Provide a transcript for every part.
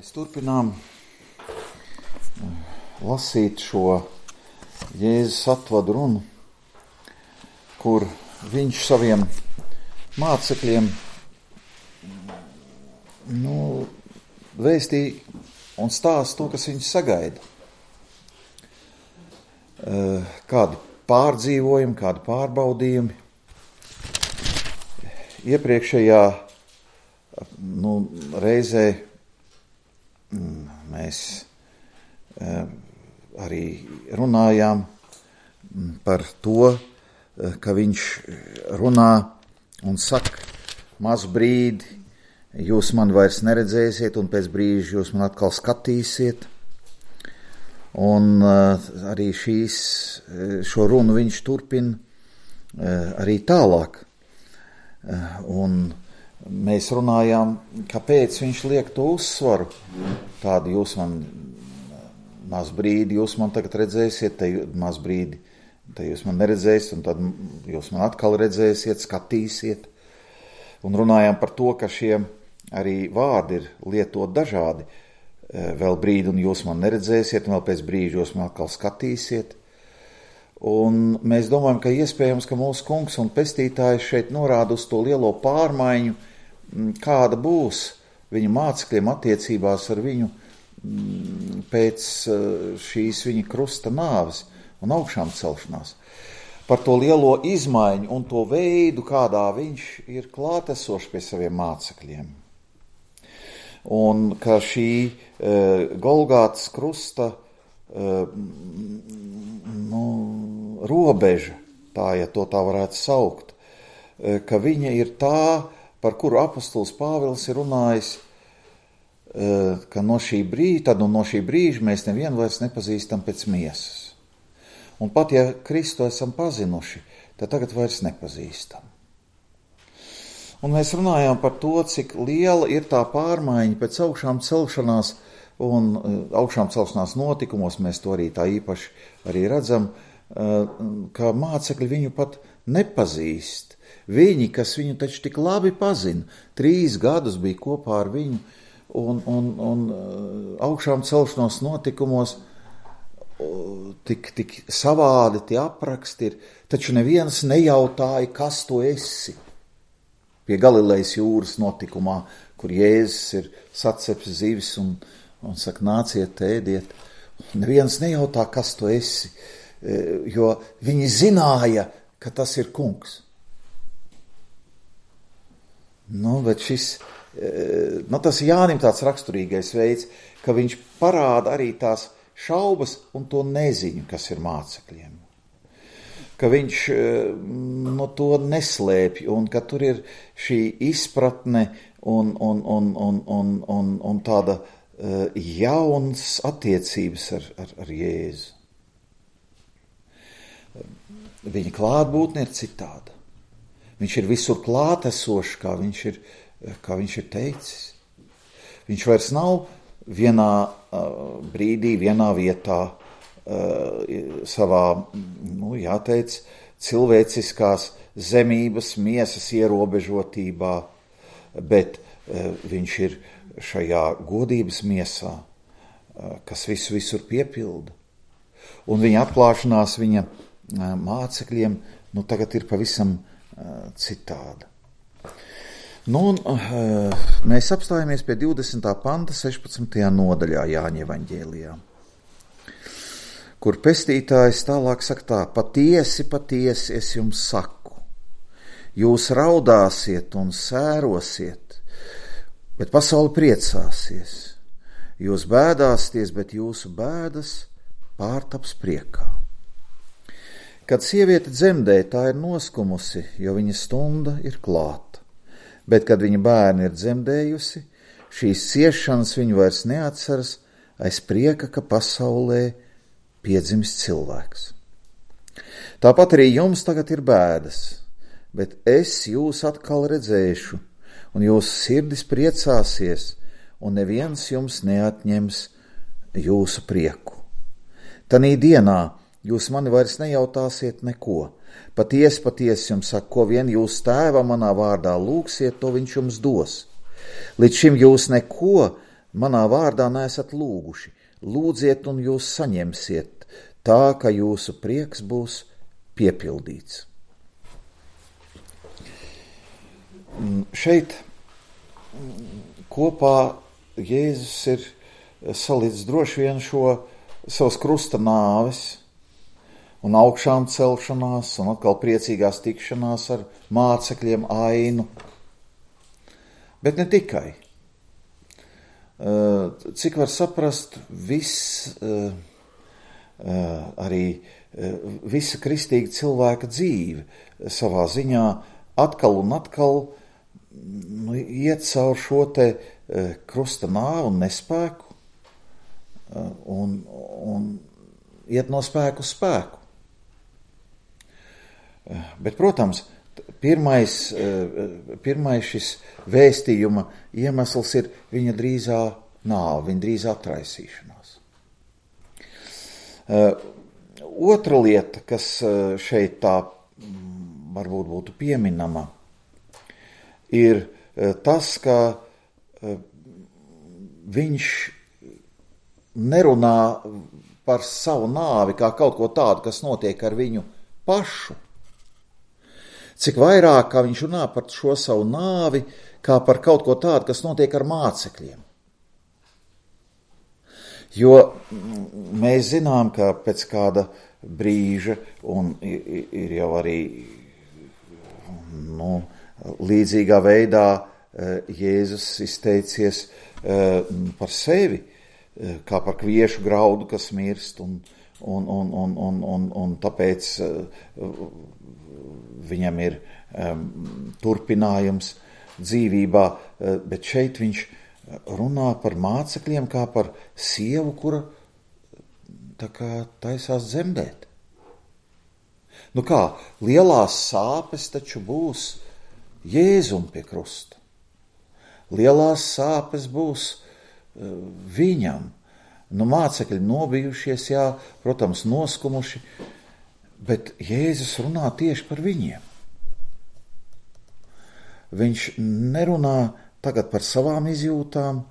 Mēs turpinām lasīt šo Jēzus atvadu runu, kur viņš saviem mācekļiem vēstīja un stāsta to, kas viņus sagaida. Kādi pārdzīvojumi, kādi pārbaudījumi. Iepriekšējā reizē mēs arī runājām par to, ka viņš runā un saka, mazu brīdi jūs mani vairs neredzēsiet un pēc brīža jūs man atkal skatīsiet. Un arī šo runu viņš turpina arī tālāk. Un mēs runājām, kāpēc viņš liek to uzsvaru. Tādu jūs man maz brīdi, jūs man tagad redzēsiet, te maz brīdi, te jūs man neredzēsiet, un tad jūs man atkal redzēsiet, skatīsiet. Un runājām par to, ka šie arī vārdi ir lietot dažādi. Vēl brīdi, un jūs man neredzēsiet, un vēl pēc brīža jūs man atkal skatīsiet. Un mēs domājam, ka iespējams, ka mūsu kungs un pestītājs šeit norāda uz to lielo pārmaiņu, kāda būs viņa mācekļiem attiecībās ar viņu pēc šīs viņa krusta nāves un augšām celšanās. Par to lielo izmaiņu un to veidu, kādā viņš ir klātesošs pie saviem mācekļiem. Un ka šī Golgātas krusta robeža, tā, ja to tā varētu saukt, ka viņa ir tā, par kuru apostols Pāvils ir runājis, ka no šī brīža mēs nevienu vairs nepazīstam pēc miesas. Un pat ja Kristu esam pazinuši, tad tagad vairs nepazīstam. Un mēs runājām par to, cik liela ir tā pārmaiņa pēc augšām celšanās un augšām celšanās notikumos, mēs to arī tā īpaši arī redzam, ka mācekļi viņu pat nepazīst. Viņi, kas viņu taču tik labi pazina, 3 gadus bija kopā ar viņu un augšām celšanās notikumos tik savādi tie apraksti ir, taču neviens nejautāja, kas tu esi. Pie Galilejas jūras notikumā, kur Jēzus ir sacepis zivis un saka, nāciet, ēdiet. Neviens nejautā, kas tu esi, jo viņi zināja, ka tas ir kungs. Bet tas ir Jānim tāds raksturīgais veids, ka viņš parāda arī tās šaubas un to neziņu, kas ir mācekļiem. Ka viņš to neslēpj un ka tur ir šī izpratne un tāda jauns attiecības ar Jēzu. Viņa klātbūtne ir citāda. Viņš ir visur klātesošs, kā viņš ir teicis. Viņš vairs nav vienā brīdī, vienā vietā savā, jāteic, cilvēciskās zemības, miesas ierobežotībā, bet viņš ir šajā godības miesā, kas visur piepilda. Un viņa atklāšanās viņa mācekļiem tagad ir pavisam citāda. Mēs apstājamies pie 20. panta 16. nodaļā Jāņa evaņģēlijā, kur pestītājs tālāk saka tā, patiesi, patiesi es jums saku, jūs raudāsiet un sērosiet, bet pasaule priecāsies, jūs bēdāsieties, bet jūsu bēdas pārtaps priekā. Kad sieviete dzemdē, tā ir noskumusi, jo viņa stunda ir klāta. Bet, kad viņa bērni ir dzemdējusi, šīs ciešanas viņu vairs neatceras aiz prieka, ka pasaulē piedzimst cilvēks. Tāpat arī jums tagad ir bēdas, bet es jūs atkal redzēšu, un jūsu sirdis priecāsies, un neviens jums neatņems jūsu prieku. Tanī dienā jūs mani vairs nejautāsiet neko. Patiesi, patiesi jums saku, ko vien jūs tēva manā vārdā lūgsiet, to viņš jums dos. Līdz šim jūs neko manā vārdā neesat lūguši. Lūdziet un jūs saņemsiet, tā, ka jūsu prieks būs piepildīts. Šeit kopā Jēzus ir salīdz droši vien šo savas krusta nāves un augšām celšanās un atkal priecīgās tikšanās ar mācekļiem ainu. Bet ne tikai. Cik var saprast, arī visa kristīga cilvēka dzīve savā ziņā atkal un atkal iet caur šo te krusta nāvi un nespēku un iet no spēku uz spēku. Bet, protams, pirmais šis vēstījuma iemesls ir viņa drīzā nāve, viņa drīzā atraisīšanās. Otra lieta, kas šeit tā varbūt būtu pieminama, ir tas, ka viņš nerunā par savu nāvi kā kaut ko tādu, kas notiek ar viņu pašu. Cik vairāk, kā viņš runā par šo savu nāvi, kā par kaut ko tādu, kas notiek ar mācekļiem. Jo mēs zinām, ka pēc kāda brīža, un ir jau arī līdzīgā veidā Jēzus izteicies par sevi, kā par kviešu graudu, kas mirst, un tāpēc viņam ir turpinājums dzīvībā, bet šeit viņš runā par mācekļiem kā par sievu, kura tā kā taisās dzemdēt. Nu kā, lielās sāpes taču būs Jēzum pie krusta. Lielās sāpes būs viņam. Nu, mācekļi nobijušies, jā, protams, noskumuši, bet Jēzus runā tieši par viņiem. Viņš nerunā tagad par savām izjūtām,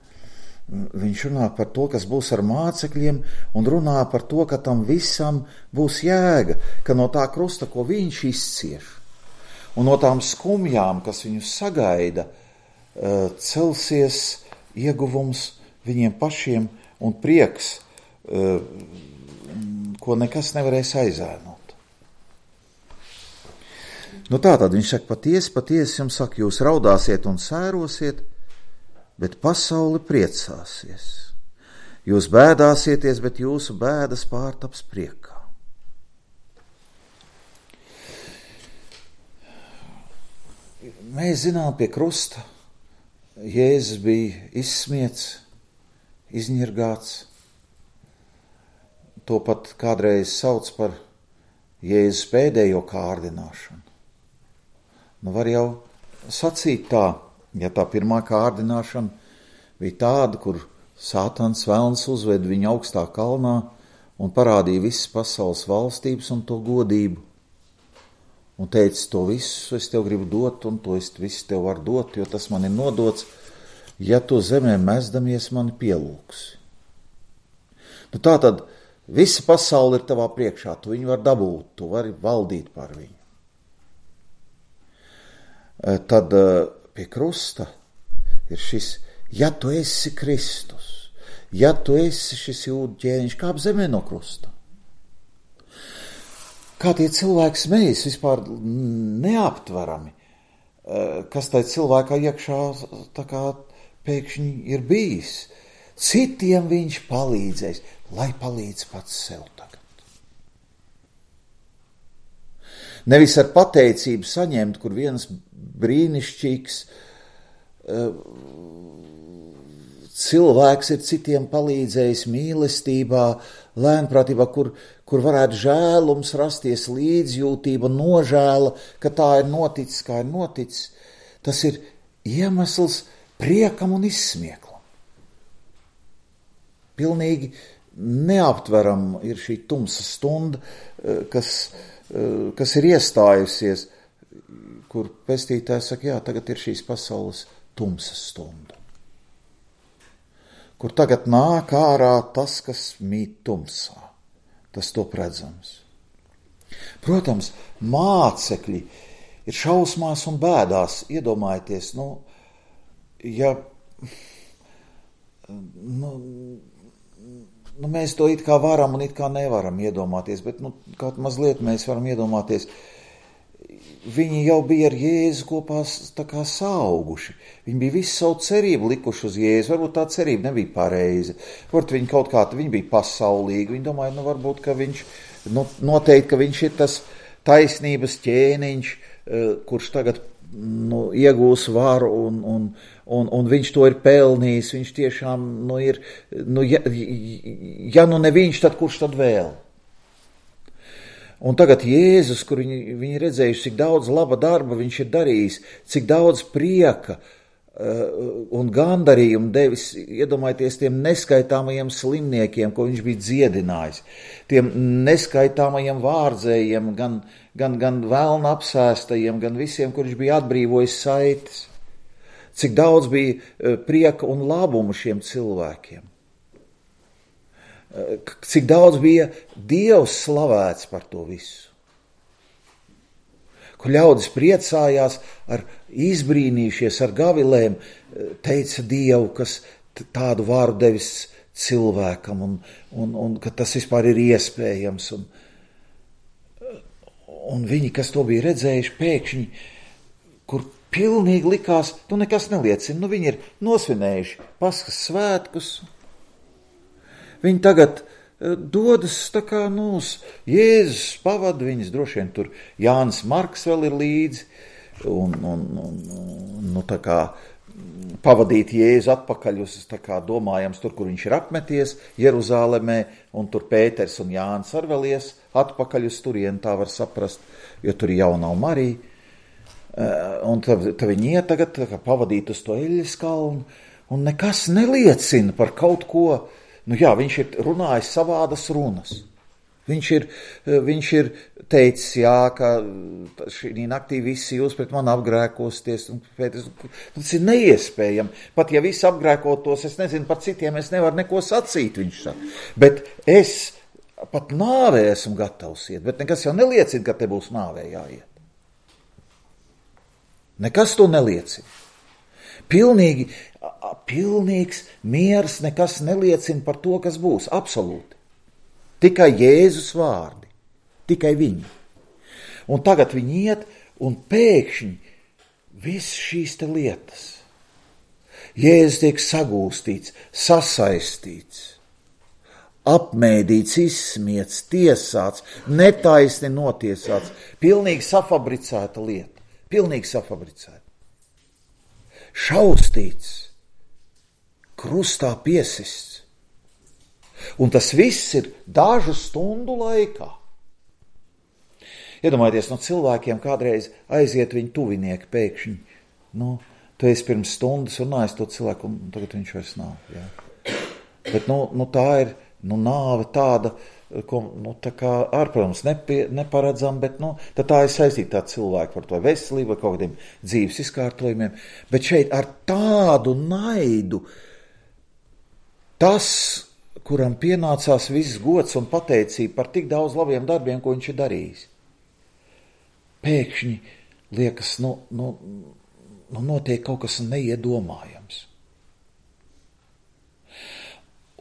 viņš runā par to, kas būs ar mācekļiem, un runā par to, ka tam visam būs jēga, ka no tā krusta, ko viņš izcieš, un no tām skumjām, kas viņus sagaida, celsies ieguvums viņiem pašiem un prieks, ko nekas nevarēs aizēnot. Nu tātad viņš saka, patiesi jums saka, jūs raudāsiet un sērosiet, bet pasauli priecāsies. Jūs bēdāsieties, bet jūsu bēdas pārtaps priekā. Mēs zinām, pie krusta Jēzus bija izsmiets, izņirgāts. To pat kādreiz sauc par Jēzus pēdējo kārdināšanu. Nu var jau sacīt tā, ja tā pirmā kārdināšana bija tāda, kur Sātans velns uzved viņu augstā kalnā un parādīja visas pasaules valstības un to godību. Un teica, to visu es tev gribu dot, un to es visu tev varu dot, jo tas man ir nodots, ja tu zemē mezdamies mani pielūksi. Nu tā tad visa pasaule ir tavā priekšā, tu viņu var dabūt, tu vari valdīt par viņu. Tad pie krusta ir šis, ja tu esi Kristus, ja tu esi šis jūdu ķēniņš, kāp zemē no krusta. Kā tie cilvēki smējas vispār neaptverami, kas tai cilvēkā iekšā tā kā pēkšņi ir bijis. Citiem viņš palīdzēs, lai palīdz pats sev tagad. Nevis ar pateicību saņemt, kur viens brīnišķīgs cilvēks ir citiem palīdzējis mīlestībā, lēnprātībā, kur varētu žēlums rasties, līdzjūtība, nožēla, ka tā ir noticis, kā ir noticis. Tas ir iemesls priekam un izsmieklam. Pilnīgi neaptveram ir šī tumsa stunda, kas ir iestājusies, kur pestītājs saka, jā, tagad ir šīs pasaules tumsa stunda. kur tagad nāk ārā tas, kas mīt tumsā, tas top redzams. Protams, mācekļi ir šausmās un bēdās, iedomājieties, mēs to it kā varam un it kā nevaram iedomāties, bet kaut mazliet mēs varam iedomāties. Viņi jau bija ar Jēzu kopā tā kā sauguši. Viņi bija visu savu cerību likuši uz Jēzu. Varbūt tā cerība nebija pareiza. Varbūt viņi kaut kā, viņi bija pasaulīgi. Viņi domāja, varbūt, ka viņš, noteikti, ka viņš ir tas taisnības ķēniņš, kurš tagad iegūs varu un viņš to ir pelnījis. Viņš tiešām, ir, ja ne viņš, tad kurš tad vēl? Un tagad Jēzus, kur viņi redzējuši, cik daudz laba darba viņš ir darījis, cik daudz prieka un gandarījumu devis, iedomājieties, tiem neskaitāmajiem slimniekiem, ko viņš bija dziedinājis, tiem neskaitāmajiem vārdzējiem, gan velna apsēstajiem, gan visiem, kur viņš bija atbrīvojis saites. Cik daudz bija prieka un labumu šiem cilvēkiem. Cik daudz bija Dievs slavēts par to visu. Kur ļaudis priecājās, izbrīnījušies ar gavilēm, teica Dievu, kas tādu vāru devis cilvēkam un ka tas vispār ir iespējams. Un viņi, kas to bija redzējuši, pēkšņi, kur pilnīgi likās, nekas neliecina, viņi ir nosvinējuši Paskas svētkus. Viņi tagad dodas tā kā Jēzus pavada viņus, droši vien tur Jānis Marks vēl ir līdzi, un tā kā pavadīt Jēzu atpakaļ uz tā kā domājams tur, kur viņš ir apmeties, Jeruzālemē, un tur Pēters un Jānis arī vēl ies atpakaļ uz turienu, tā var saprast, jo tur jau nav Marija. Un tad viņi iet tagad tā kā pavadīt uz to Eļas kalnu, un nekas neliecina par kaut ko. Viņš ir runājis savādas runas. Viņš ir teicis, ka šī naktī visi jūs pret mani apgrēkosties. Tas ir neiespējami. Pat ja visi apgrēkotos, es nezinu, par citiem es nevaru neko sacīt, viņš saka. Bet es pat nāvē esmu gatavs iet, bet nekas jau neliecina, ka te būs nāvē jāiet. Nekas to neliecina. Pilnīgs miers, nekas neliecina par to, kas būs, absolūti. Tikai Jēzus vārdi, tikai viņi. Un tagad viņi iet, un pēkšņi viss šīs te lietas. Jēzus tiek sagūstīts, sasaistīts, apmēdīts, izsmiets, tiesāts, netaisni notiesāts, pilnīgi safabricēta lieta, pilnīgi safabricēta. Šaustīts, krustā piesists. Un tas viss ir dažu stundu laikā. Iedomājieties, cilvēkiem kādreiz aiziet viņu tuvinieki pēkšņi. Tu esi pirms stundas runājis to cilvēku, un tagad viņš vairs nav. Jā. Bet tā ir nāve tāda, ko, tā kā ārprotams neparedzam, bet tā ir saistīta tā cilvēku par to veselību, kaut kādiem dzīves izkārtojumiem. Bet šeit ar tādu naidu tas, kuram pienācās viss gods un pateicība par tik daudz labiem darbiem, ko viņš ir darījis. Pēkšņi liekas, notiek kaut kas neiedomājams.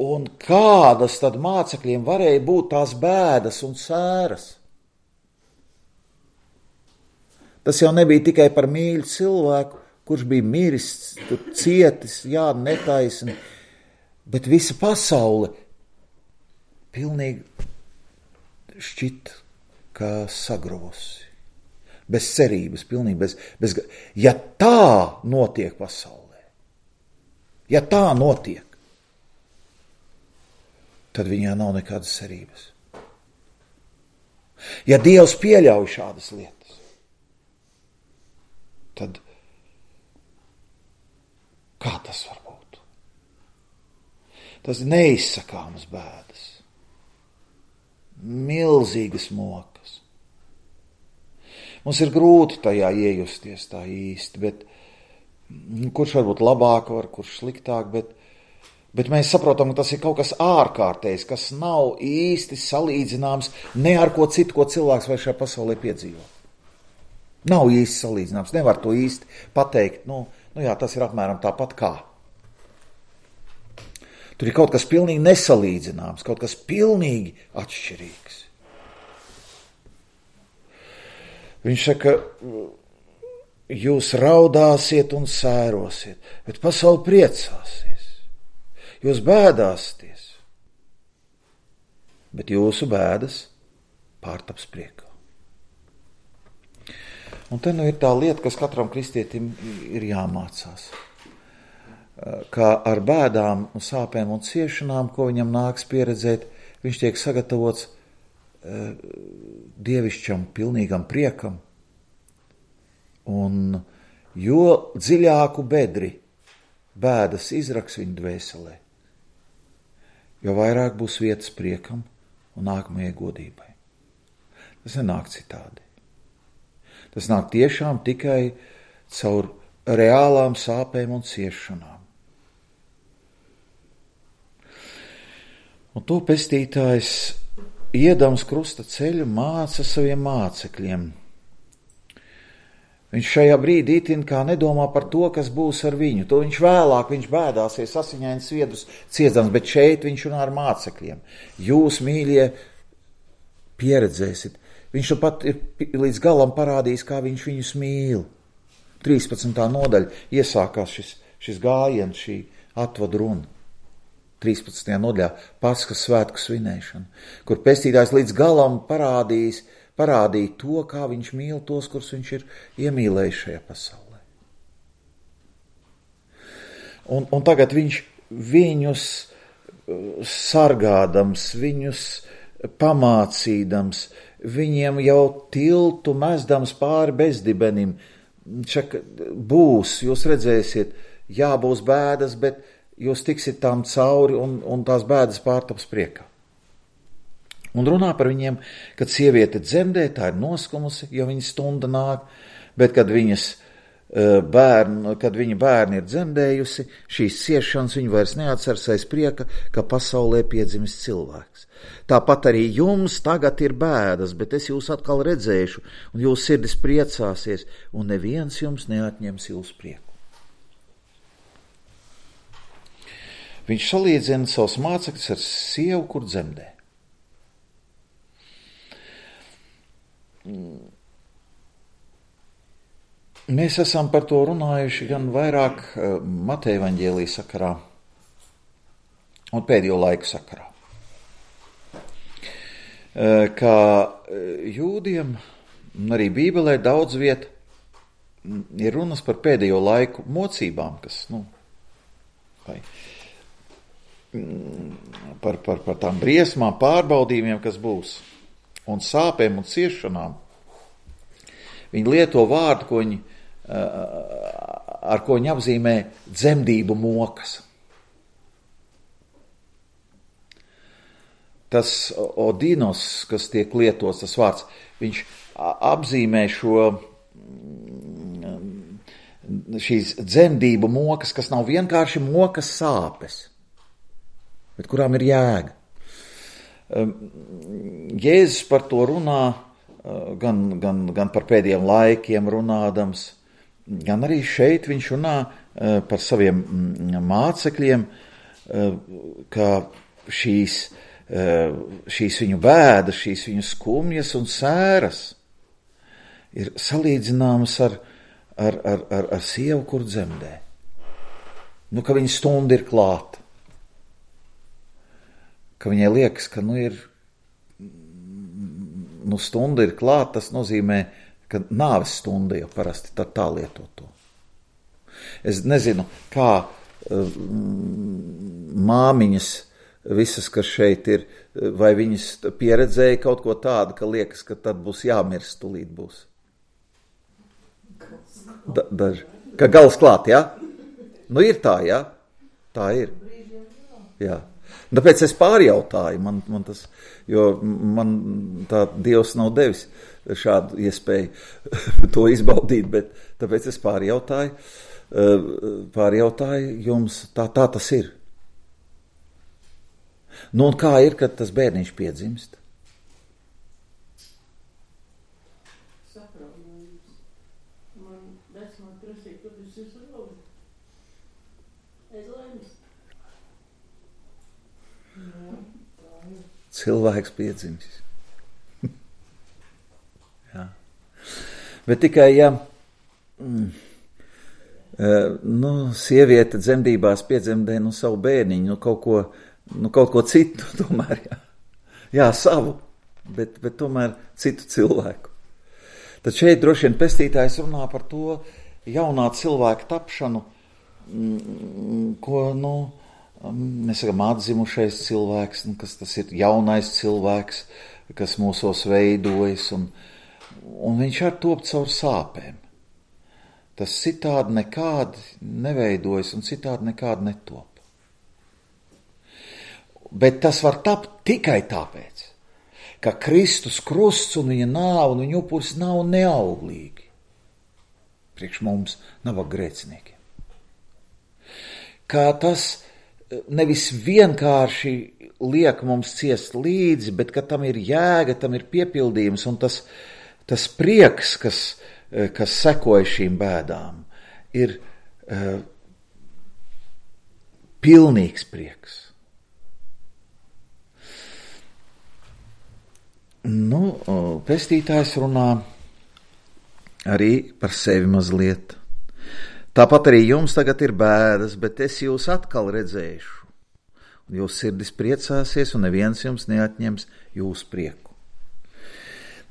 Un kādas tad mācekļiem varēja būt tās bēdas un sēras? Tas jau nebija tikai par mīļu cilvēku, kurš bija miris, tur cietis, netaisni, bet visa pasaule pilnīgi šķita, kā sagruvusi. Bez cerības, pilnīgi bez. Ja tā notiek pasaulē, ja tā notiek, tad viņā nav nekādas cerības. Ja Dievs pieļauj šādas lietas, tad kā tas var būt? Tas ir neizsakāmas bēdas, milzīgas mokas. Mums ir grūti tajā iejusties tā īsti, bet kurš varbūt labāk var, kurš sliktāk, bet Bet mēs saprotam, ka tas ir kaut kas ārkārtējs, kas nav īsti salīdzināms ne ar ko citu, ko cilvēks vai šajā pasaulē piedzīvo. Nav īsti salīdzināms, nevar to īsti pateikt. Nu jā, tas ir apmēram tāpat kā. Tur ir kaut kas pilnīgi nesalīdzināms, kaut kas pilnīgi atšķirīgs. Viņš saka, jūs raudāsiet un sērosiet, bet pasaule priecāsies. Jūs bēdāsieties, bet jūsu bēdas pārtaps priekā. Un te ir tā lieta, kas katram kristietim ir jāmācās. Kā ar bēdām, sāpēm un ciešanām, ko viņam nāks pieredzēt, viņš tiek sagatavots dievišķam, pilnīgam priekam. Un jo dziļāku bedri bēdas izraks viņa dvēselē, jo vairāk būs vietas priekam un nākamajai godībai. Tas nenāk citādi. Tas nāk tiešām tikai caur reālām sāpēm un ciešanām. Un to pestītājs, iedams krusta ceļu, māca saviem mācekļiem. Viņš šajā brīdī itin kā nedomā par to, kas būs ar viņu. To viņš vēlāk, viņš bēdāsies, asiņains sviedrus ciedams, bet šeit viņš runā ar mācekļiem. Jūs, mīļie, pieredzēsit. Viņš pat ir līdz galam parādījis, kā viņš viņus mīl. 13. nodaļa iesākās šis gājiens, šī atvadu runa. 13. nodaļā Paskas svētku svinēšana, kur pestītājs līdz galam parādīja to, kā viņš mīl tos, kurus viņš ir iemīlējis šajā pasaulē. Un tagad viņš viņus sargādams, viņus pamācīdams, viņiem jau tiltu mezdams pāri bezdibenim. Būs, jūs redzēsiet, būs bēdas, bet jūs tiksit tām cauri un tās bēdas pārtaps priekā. Un runā par viņiem, kad sieviete dzemdē, tā ir noskumusi, jo viņa stunda nāk, bet kad viņa bērni ir dzemdējusi, šīs ciešanas viņa vairs neatceras aiz prieka, ka pasaulē piedzimis cilvēks. Tāpat arī jums tagad ir bēdas, bet es jūs atkal redzēšu, un jūs sirdis priecāsies, un neviens jums neatņems jūsu prieku. Viņš salīdzina savus mācekļus ar sievu, kur dzemdē. Mēs esam par to runājuši gan vairāk Mateja evaņģēlija sakarā un pēdējo laiku sakarā. Kā jūdiem, un arī Bībelē daudz viet ir runas par pēdējo laiku mocībām, kas, par tām briesmām, pārbaudījumiem, kas būs. Un sāpēm un ciešanām. Viņi lieto vārdu, ar ko viņi apzīmē dzemdību mokas. Tas odinos, kas tiek lietots, tas vārds, viņš apzīmē šīs dzemdību mokas, kas nav vienkārši mokas sāpes, bet kurām ir jēga. Jēzus par to runā, gan par pēdējiem laikiem runādams, gan arī šeit viņš runā par saviem mācekļiem, ka šīs viņu bēdas, šīs viņu skumjas un sēras ir salīdzināmas ar sievu, kur dzemdē. Ka viņa stunda ir klāta. Ka viņai liekas, ka stunda ir klāta, tas nozīmē, ka nāves stunda jau parasti tā lieto to. Es nezinu, kā māmiņas visas, kas šeit ir, vai viņas pieredzēja kaut ko tādu, ka liekas, ka tad būs jāmirst, tūlīt būs. Daži. Ka gals klāt, jā? Ir tā, jā? Tā ir. Jā. Tāpēc es pārjautāju, man tas, jo man tā Dievs nav devis šādu iespēju to izbaudīt, bet tāpēc es pārjautāju jums, tā tas ir. Nu, un kā ir, kad tas bērniņš piedzimst? Sapraujums. Man vecmāt prasīja, ka tas ir rauda. Es laimes. Cilvēks piedzimst. Jā. Bet tikai, ja sieviete dzemdībās piedzemdē savu bērniņu, kaut ko citu tomēr, jā, savu, bet tomēr citu cilvēku. Tad šeit droši vien pestītājs runā par to jaunā cilvēka tapšanu, ko, mēs sakam, atzimušais cilvēks, kas tas ir jaunais cilvēks, kas mūsos veidojas, un viņš ar top caur sāpēm. Tas citādi nekādi neveidojas un citādi nekādi netop. Bet tas var tapt tikai tāpēc, ka Kristus krusts un viņa nāve un viņa upuris nav neauglīgi. Priekš mums nabaga grēciniekiem. Kā tas nevis vienkārši liek mums ciest līdzi, bet ka tam ir jēga, tam ir piepildījums un tas prieks, kas sekoja šīm bēdām, ir pilnīgs prieks. Pestītājs runā arī par sevi mazliet. Tāpat arī jums tagad ir bēdas, bet es jūs atkal redzēšu. Un jūs sirdis priecāsies, un neviens jums neatņems jūsu prieku.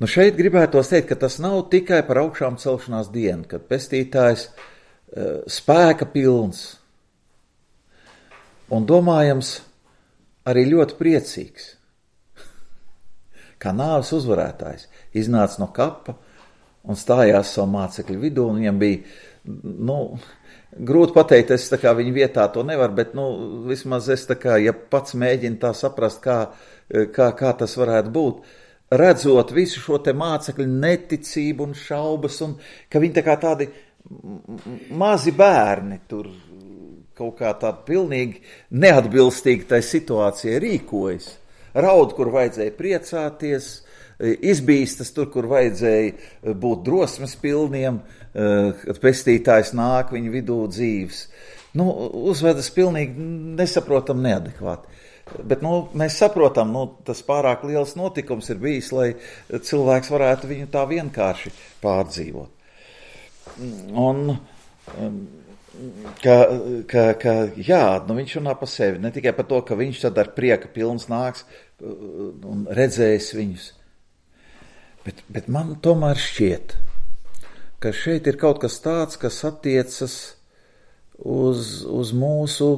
Šeit gribētos teikt, ka tas nav tikai par augšām celšanās dienu, kad pestītājs spēka pilns un domājams arī ļoti priecīgs, kā nāves uzvarētājs, iznāca no kapa un stājās savu mācekļu vidū, un viņam bija, grūti pateikt, es tā kā viņa vietā to nevaru, bet, vismaz es tā kā, ja pats mēģinu tā saprast, kā tas varētu būt, redzot visu šo te mācekļu neticību un šaubas, un ka viņi tā kā tādi mazi bērni tur kaut kā tādi pilnīgi neatbilstīgi tai situācijai rīkojas. Raud, kur vajadzēja priecāties, izbīstas tur, kur vajadzēja būt drosmes pilniem, kad pestītājs nāk viņu vidū dzīves. Uzvedas pilnīgi nesaprotam neadekvāti. Bet mēs saprotam, tas pārāk liels notikums ir bijis, lai cilvēks varētu viņu tā vienkārši pārdzīvot. Un viņš runā par sevi, ne tikai par to, ka viņš tad ar prieka pilns nāks un redzēs viņus. Bet man tomēr šķiet, ka šeit ir kaut kas tāds, kas attiecas uz mūsu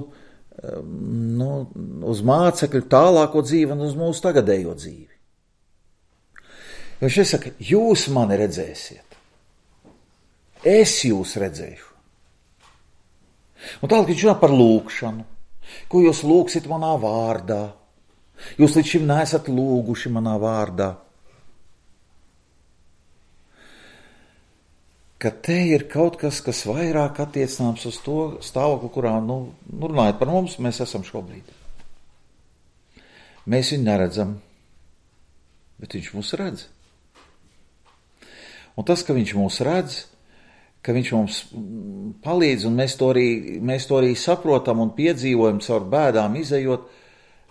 uz mācekļu tālāko dzīvi un uz mūsu tagadējo dzīvi. Viņš saka, jūs mani redzēsiet, es jūs redzēšu. Un tālāk viņš runā par lūgšanu, ko jūs lūgsit manā vārdā. Jūs līdz šim neesat lūguši manā vārdā. Ka te ir kaut kas, kas vairāk attiecināms uz to stāvokli, kurā, runājot par mums, mēs esam šobrīd. Mēs viņu neredzam, bet viņš mūs redz. Un tas, ka viņš mūs redz, ka viņš mums palīdz, un mēs to arī saprotam un piedzīvojam caur bēdām izejot,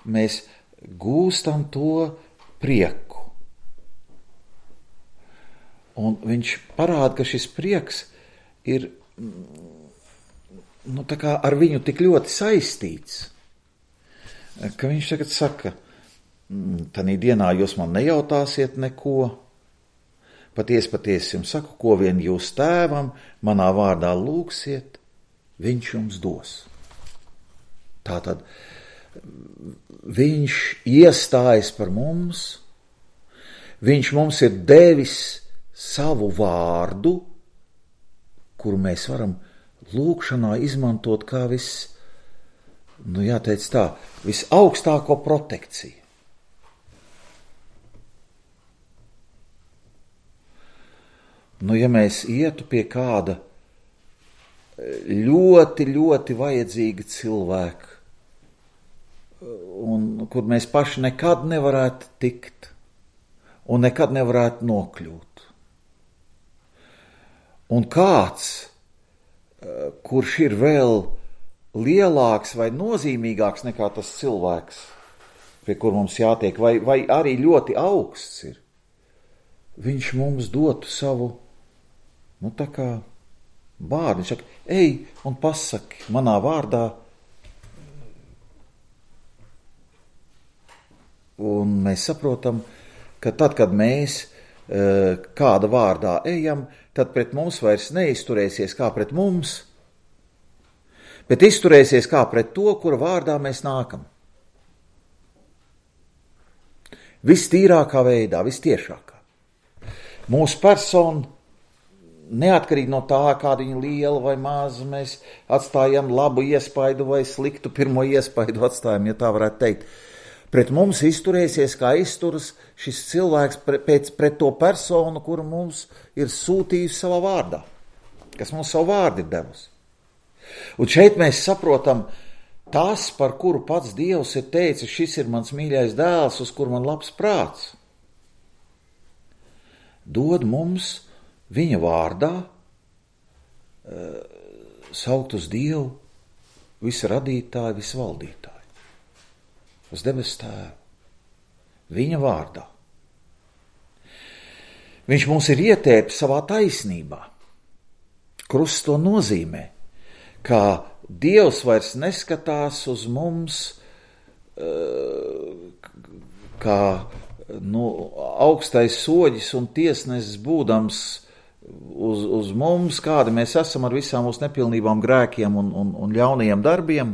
mēs gūstam to prieku. Un viņš parāda, ka šis prieks ir tā kā ar viņu tik ļoti saistīts, ka viņš tagad saka, tanī dienā jūs man nejautāsiet neko, patiesi jums saku, ko vien jūs tēvam manā vārdā lūgsiet, viņš jums dos. Tātad viņš iestājas par mums, viņš mums ir devis savu vārdu, kuru mēs varam lūgšanā izmantot kā jāteic tā, visaugstāko protekciju. Ja mēs ietu pie kāda ļoti, ļoti vajadzīga cilvēka, un kur mēs paši nekad nevarētu tikt un nekad nevarētu nokļūt. Un kāds, kurš ir vēl lielāks vai nozīmīgāks nekā tas cilvēks, pie kur mums jātiek, vai arī ļoti augsts ir, viņš mums dotu savu, tā kā vārdu. Viņš saka, ej un pasaki manā vārdā. Un mēs saprotam, ka tad, kad mēs kāda vārdā ejam, tad pret mums vairs neizturēsies kā pret mums, bet izturēsies kā pret to, kura vārdā mēs nākam. Vistīrākā veidā, vistiešākā. Mūsu persona, neatkarīgi no tā, kāda viņa liela vai maza, mēs atstājam labu iespaidu vai sliktu pirmo iespaidu atstājam, ja tā varētu teikt. Pret mums izturēsies, kā izturas šis cilvēks pret to personu, kuru mums ir sūtījusi savā vārdā, kas mums savu vārdu ir devusi. Un šeit mēs saprotam tas, par kuru pats Dievs ir teicis, šis ir mans mīļais dēls, uz kuru man labs prāts. Dod mums viņa vārdā saukt uz Dievu, visu radītāju, visu valdītāju. Uz debesu tēvu, viņa vārdā. Viņš mums ir ietērpis savā taisnībā. Krusts to nozīmē, ka Dievs vairs neskatās uz mums kā augstais soģis un tiesnesis būdams uz mums, kādi mēs esam ar visām mūsu nepilnībām, grēkiem un ļaunajiem darbiem.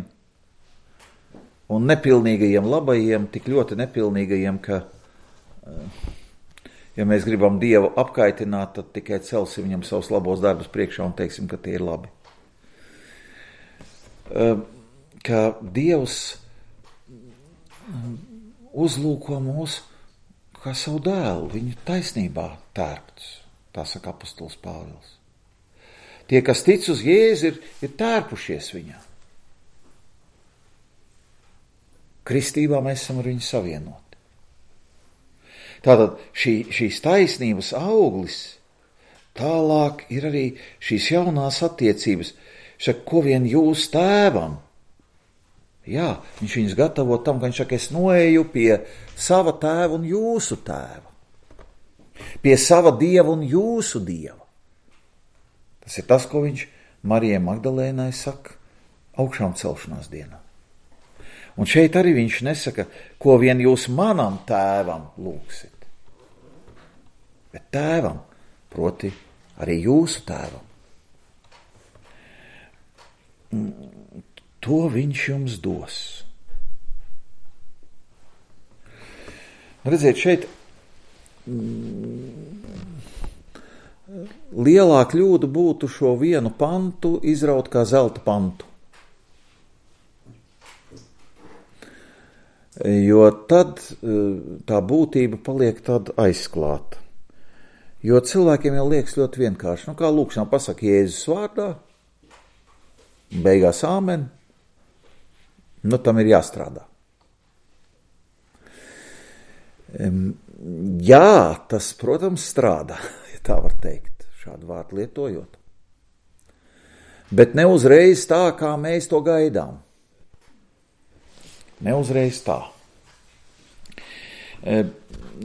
Un nepilnīgajiem labajiem, tik ļoti nepilnīgajiem, ka, ja mēs gribam Dievu apkaitināt, tad tikai celsim viņam savus labos darbus priekšā un teiksim, ka tie ir labi. Ka Dievs uzlūko mūs kā savu dēlu, viņu taisnībā tērpts, tā saka apostols Pāvils. Tie, kas tic uz Jēzu, ir tērpušies viņā. Kristībā mēs esam ar viņu savienoti. Tātad šīs taisnības auglis, tālāk ir arī šīs jaunās attiecības. Saka, ko vien jūs tēvam? Jā, viņš viņus gatavo tam, ka viņš saka, es noeju pie sava tēva un jūsu tēva. Pie sava dieva un jūsu dieva. Tas ir tas, ko viņš Marijai Magdalēnai saka augšām celšanās dienā. Un šeit arī viņš nesaka, ko vien jūs manam tēvam lūgsit. Bet tēvam, proti arī jūsu tēvam. To viņš jums dos. Redziet, šeit lielā kļūda būtu šo vienu pantu izraut kā zelta pantu. Jo tad tā būtība paliek tāda aizklāta. Jo cilvēkiem jau liekas ļoti vienkārši. Kā lūkšanā pasaka Jēzus vārdā, beigās āmen, tam ir jāstrādā. Jā, tas, protams, strādā, ja tā var teikt, šādu vārdu lietojot. Bet ne uzreiz tā, kā mēs to gaidām. Neuzreiz tā.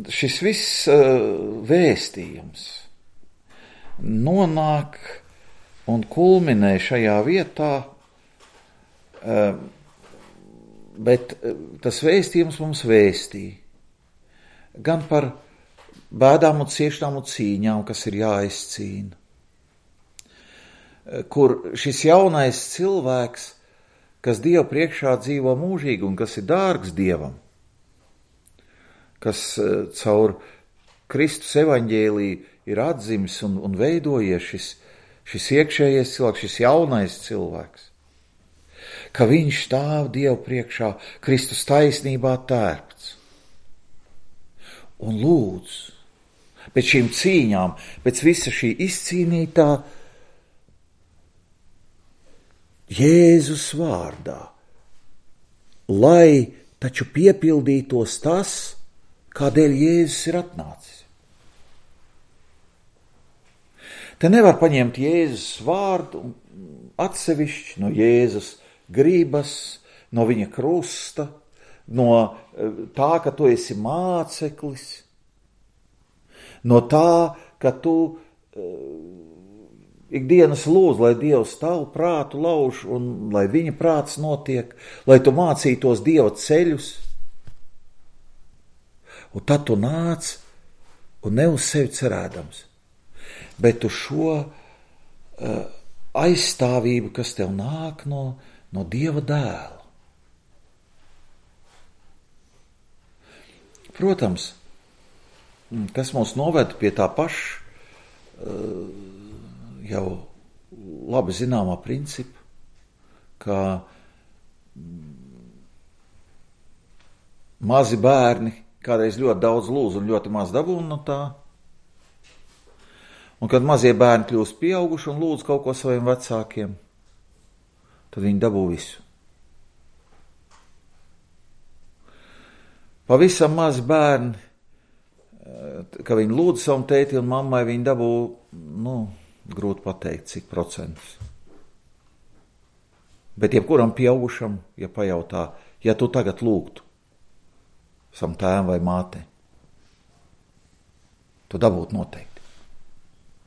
Šis viss vēstījums nonāk un kulminē šajā vietā, bet tas vēstījums mums vēstīja gan par bēdām un ciešanām un cīņām, kas ir jāizcīna, kur šis jaunais cilvēks, kas Dieva priekšā dzīvo mūžīgi un kas ir dārgs Dievam, kas caur Kristus evaņģēliju ir atzimis un veidojies šis iekšējais cilvēks, šis jaunais cilvēks, ka viņš stāv Dieva priekšā Kristus taisnībā tērpts un lūdz pēc šīm cīņām, pēc visa šī izcīnītā Jēzus vārdā, lai taču piepildītos tas, kādēļ Jēzus ir atnācis. Te nevar paņemt Jēzus vārdu atsevišķi no Jēzus gribas, no viņa krusta, no tā, ka tu esi māceklis, no tā, ka tu ikdienas lūdz, lai Dievs tavu prātu lauž un lai viņa prāts notiek, lai tu mācītos Dieva ceļus. Un tad tu nāc un ne uz sevi cerēdams, bet uz šo aizstāvību, kas tev nāk no Dieva dēla. Protams, kas mūs noved pie tā paša jau labi zināmā principa, ka mazi bērni kādreiz ļoti daudz lūdz un ļoti maz dabūna no tā. Un kad mazie bērni kļūst pieauguši un lūdz kaut ko saviem vecākiem, tad viņi dabū visu. Pavisam mazi bērni, ka viņi lūdz savam tēti un mammai, viņi dabū, grūti pateikt, cik procentus. Bet jebkuram pieaugušam, ja pajautā, ja tu tagad lūgtu savam tēvam vai mātei, tu dabūtu noteikti.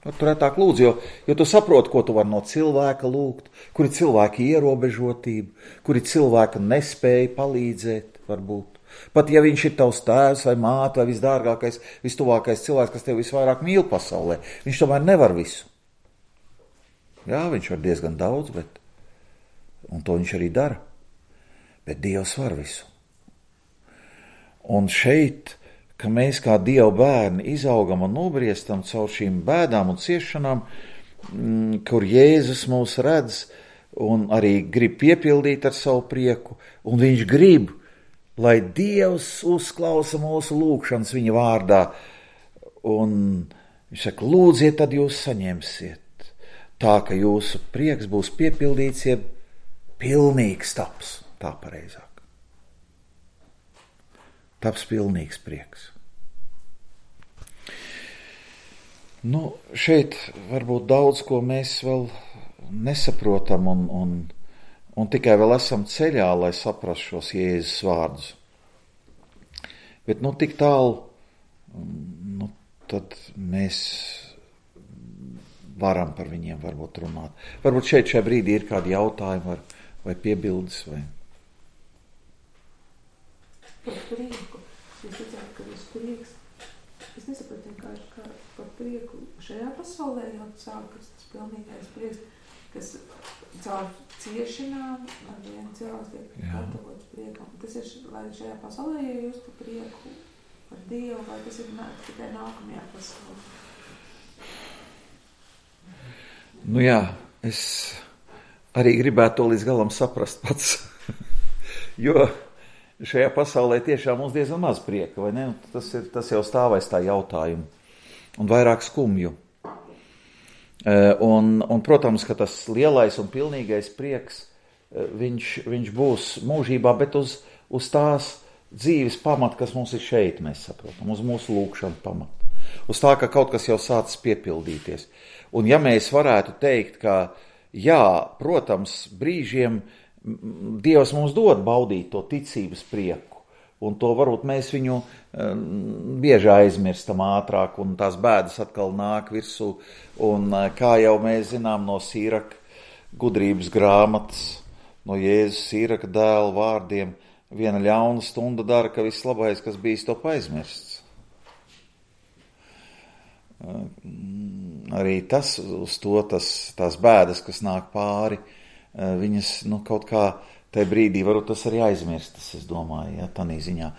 Tu retāk lūdz, jo tu saproti, ko tu vari no cilvēka lūgt, kuri cilvēki ierobežotība, kuri cilvēka nespēja palīdzēt, varbūt. Pat ja viņš ir tavs tēvs vai māte vai visdārgākais, vistuvākais cilvēks, kas tev visvairāk mīl pasaulē, viņš tomēr nevar visu. Jā, viņš var diezgan daudz, un to viņš arī dara, bet Dievs var visu. Un šeit, ka mēs kā Dieva bērni izaugam un nobriestam caur šīm bēdām un ciešanām, kur Jēzus mūs redz un arī grib piepildīt ar savu prieku, un viņš grib, lai Dievs uzklausa mūsu lūgšanas viņa vārdā, un viņš saka, lūdziet, tad jūs saņemsiet, tā, ka jūsu prieks būs piepildīts, jeb pilnīgs taps, tā pareizāk. Taps pilnīgs prieks. Šeit varbūt daudz, ko mēs vēl nesaprotam un tikai vēl esam ceļā, lai saprastu šos Jēzus vārdus. Bet tik tālu, tad mēs varam par viņiem varbūt runāt. Varbūt šajā brīdī ir kādi jautājumi vai piebildes vai... Par prieku. Jūs redzētu, ka jūs prieks, es nesapratu vienkārši, kā par prieku šajā pasaulē jau sākas tas pilnīgais prieks, kas caur ciešanām ar vienu cilvēku tiek gatavots priekam. Tas ir, lai šajā pasaulē, ja jūs par prieku par Dievu, vai tas ir tikai nākamajā pasaulē? Jā, es arī gribētu to līdz galam saprast pats, jo šajā pasaulē tiešām mums diezgan maz prieka, vai ne? Tas jau stāvēs tā jautājumu un vairāk skumju. Un protams, ka tas lielais un pilnīgais prieks, viņš būs mūžībā, bet uz tās dzīves pamata, kas mums ir šeit, mēs saprotam, uz mūsu lūgšanu pamata. Uz tā, ka kaut kas jau sācis piepildīties. Un ja mēs varētu teikt, ka jā, protams, brīžiem Dievs mums dod baudīt to ticības prieku, un to varbūt mēs viņu bieži aizmirstam ātrāk, un tās bēdas atkal nāk virsū, un kā jau mēs zinām no Sīraka gudrības grāmatas, no Jēzus Sīraka dēla vārdiem, viena ļauna stunda dara, ka viss labais, kas bijis, top aizmirsts. Arī tas uz to, tās bēdas, kas nāk pāri, viņas, kaut kā tajā brīdī varbūt tas arī aizmirstas, es domāju, tādā ziņā.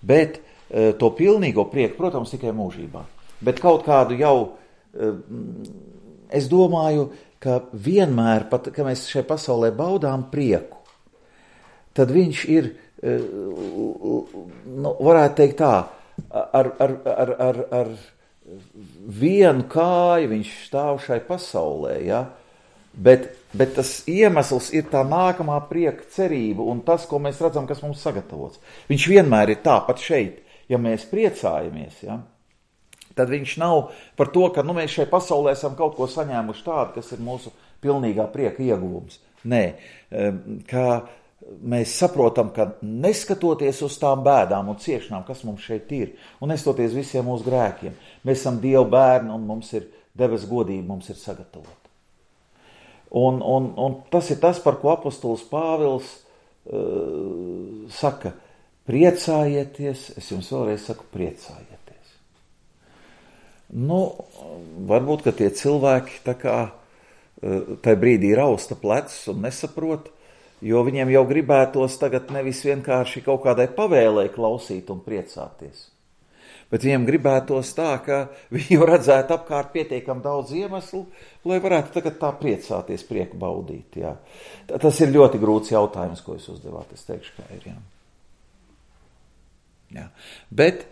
Bet to pilnīgo prieku, protams, tikai mūžībā. Bet kaut kādu jau, es domāju, ka vienmēr, pat, ka mēs šai pasaulē baudām prieku, tad viņš ir, varētu teikt tā, ar vienu kāju viņš stāv šai pasaulē, ja? Bet tas iemesls ir tā nākamā prieka cerība un tas, ko mēs redzam, kas mums sagatavots. Viņš vienmēr ir tāpat šeit, ja mēs priecājamies, ja? Tad viņš nav par to, ka mēs šai pasaulē esam kaut ko saņēmuši tādu, kas ir mūsu pilnīgā prieka ieguvums. Nē, ka mēs saprotam, ka neskatoties uz tām bēdām un ciešanām, kas mums šeit ir, un nestoties visiem mūsu grēkiem, mēs esam Dieva bērni un mums ir debes godība, mums ir sagatavota. Un tas ir tas, par ko apostols Pāvils saka, priecājieties, es jums vēlreiz saku, priecājieties. Varbūt, ka tie cilvēki tā kā tai brīdī rausta plecus un nesaprot, jo viņiem jau gribētos tagad nevis vienkārši kaut kādai pavēlei klausīt un priecāties. Bet viņiem gribētos tā, ka viņi jau redzētu apkārt pietiekam daudz iemeslu, lai varētu tagad tā priecāties, prieku baudīt. Jā. Tas ir ļoti grūts jautājums, ko jūs uzdevāt, es teikšu, kā ir. Jā. Bet,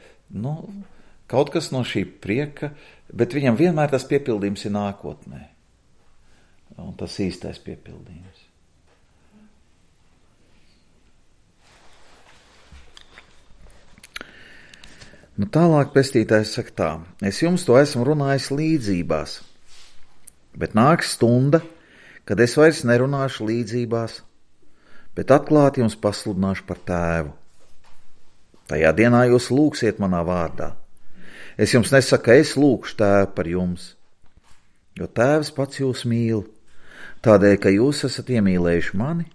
kaut kas no šī prieka, bet viņam vienmēr tas piepildījums ir nākotnē. Un tas īstais piepildījums. Tālāk pestītājs saka tā, es jums to esmu runājis līdzībās, bet nāks stunda, kad es vairs nerunāšu līdzībās, bet atklāti jums pasludināšu par tēvu. Tajā dienā jūs lūgsiet manā vārdā. Es jums nesaku, ka es lūgšu tēvu par jums, jo tēvs pats jūs mīl, tādēļ, ka jūs esat iemīlējuši mani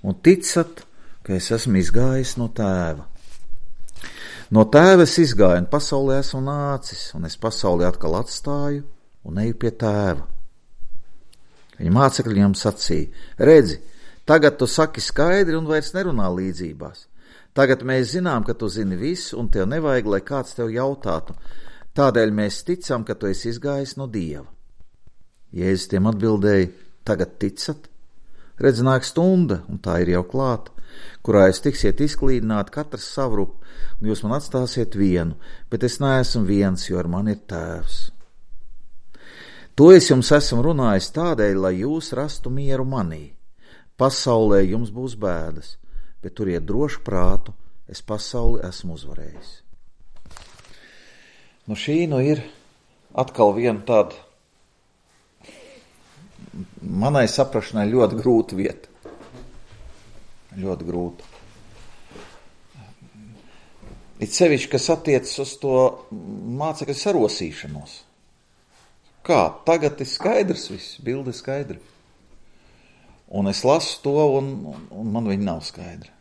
un ticat, ka es esmu izgājis no tēva. No tēva es izgāju un pasaulē esmu nācis, un es pasauli atkal atstāju un eju pie tēva. Viņa mācekļi viņam sacīja, redzi, tagad tu saki skaidri un vairs nerunā līdzībās. Tagad mēs zinām, ka tu zini visu, un tev nevajag, lai kāds tev jautātu. Tādēļ mēs ticam, ka tu esi izgājis no Dieva. Jēzus tiem atbildēja, tagad ticat? Redz, nāk stunda, un tā ir jau klāta, kurā jūs tiksiet izklīdināti katrs savrup, un jūs man atstāsiet vienu, bet es neesmu viens, jo ar mani ir tēvs. To es jums esmu runājis tādēļ, lai jūs rastu mieru manī. Pasaulē jums būs bēdas, bet turiet drošu prātu, es pasauli esmu uzvarējis. Šī ir atkal viena tāda manai saprašanai ļoti grūta vieta. Ļoti grūta. It sevišķi, kas attiecas uz to mācekļu sarosīšanos. Kā? Tagad ir skaidrs viss, bilde ir skaidra. Un es lasu to, un man viņa nav skaidra.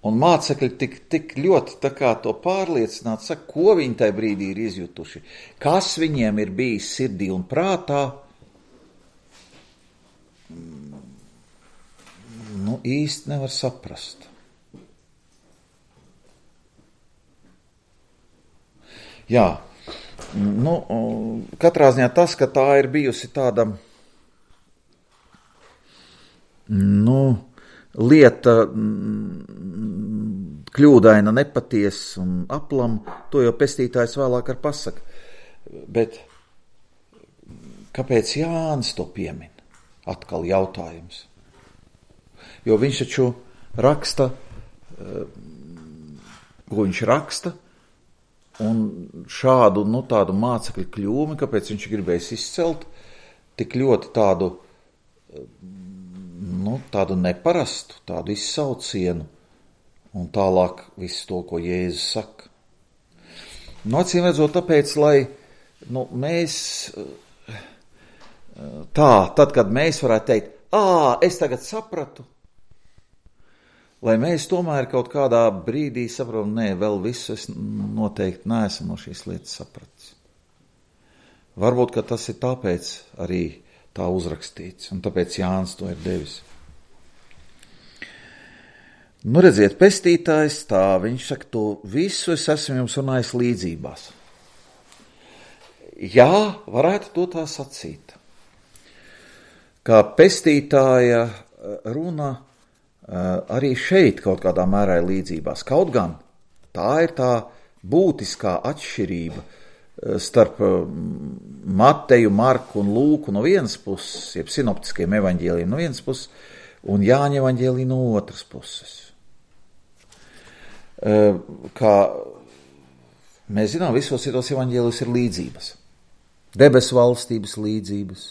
Un mācekļi tik ļoti tā kā to pārliecināti, saka, ko viņi tajā brīdī ir izjutuši, kas viņiem ir bijis sirdī un prātā, īsti nevar saprast. Jā, katrā ziņā tas, ka tā ir bijusi tāda, lieta kļūdaina, nepatiesa un aplam, to jau pestītājs vēlāk ar pasaka. Bet kāpēc Jānis to piemin? Atkal jautājums. Jo viņš taču raksta, ko viņš raksta, un šādu, tādu mācekļu kļūmi, kāpēc viņš gribējis izcelt, tik ļoti tādu neparastu, tādu izsaucienu, un tālāk visu to, ko Jēzus saka. Acīm redzot, tāpēc, lai mēs tad, kad mēs varētu teikt, es tagad sapratu, lai mēs tomēr kaut kādā brīdī saprotam, vēl visu es noteikti neesmu no šīs lietas sapratis. Varbūt, ka tas ir tāpēc arī tā uzrakstīts, un tāpēc Jānis to ir devis. Redziet, pestītājs tā, viņš saka, to visu es esmu jums runājis līdzībās. Jā, varētu to tā sacīt. Kā pestītāja runa arī šeit kaut kādā mērā ir līdzībās. Kaut gan tā ir tā būtiskā atšķirība starp Mateju, Marku un Lūku no vienas puses, jeb sinoptiskiem evaņģēlijiem no vienas puses, un Jāņa evaņģēlija no otras puses. Kā mēs zinām, visos citos evaņģēlijos ir līdzības. Debesu valstības līdzības.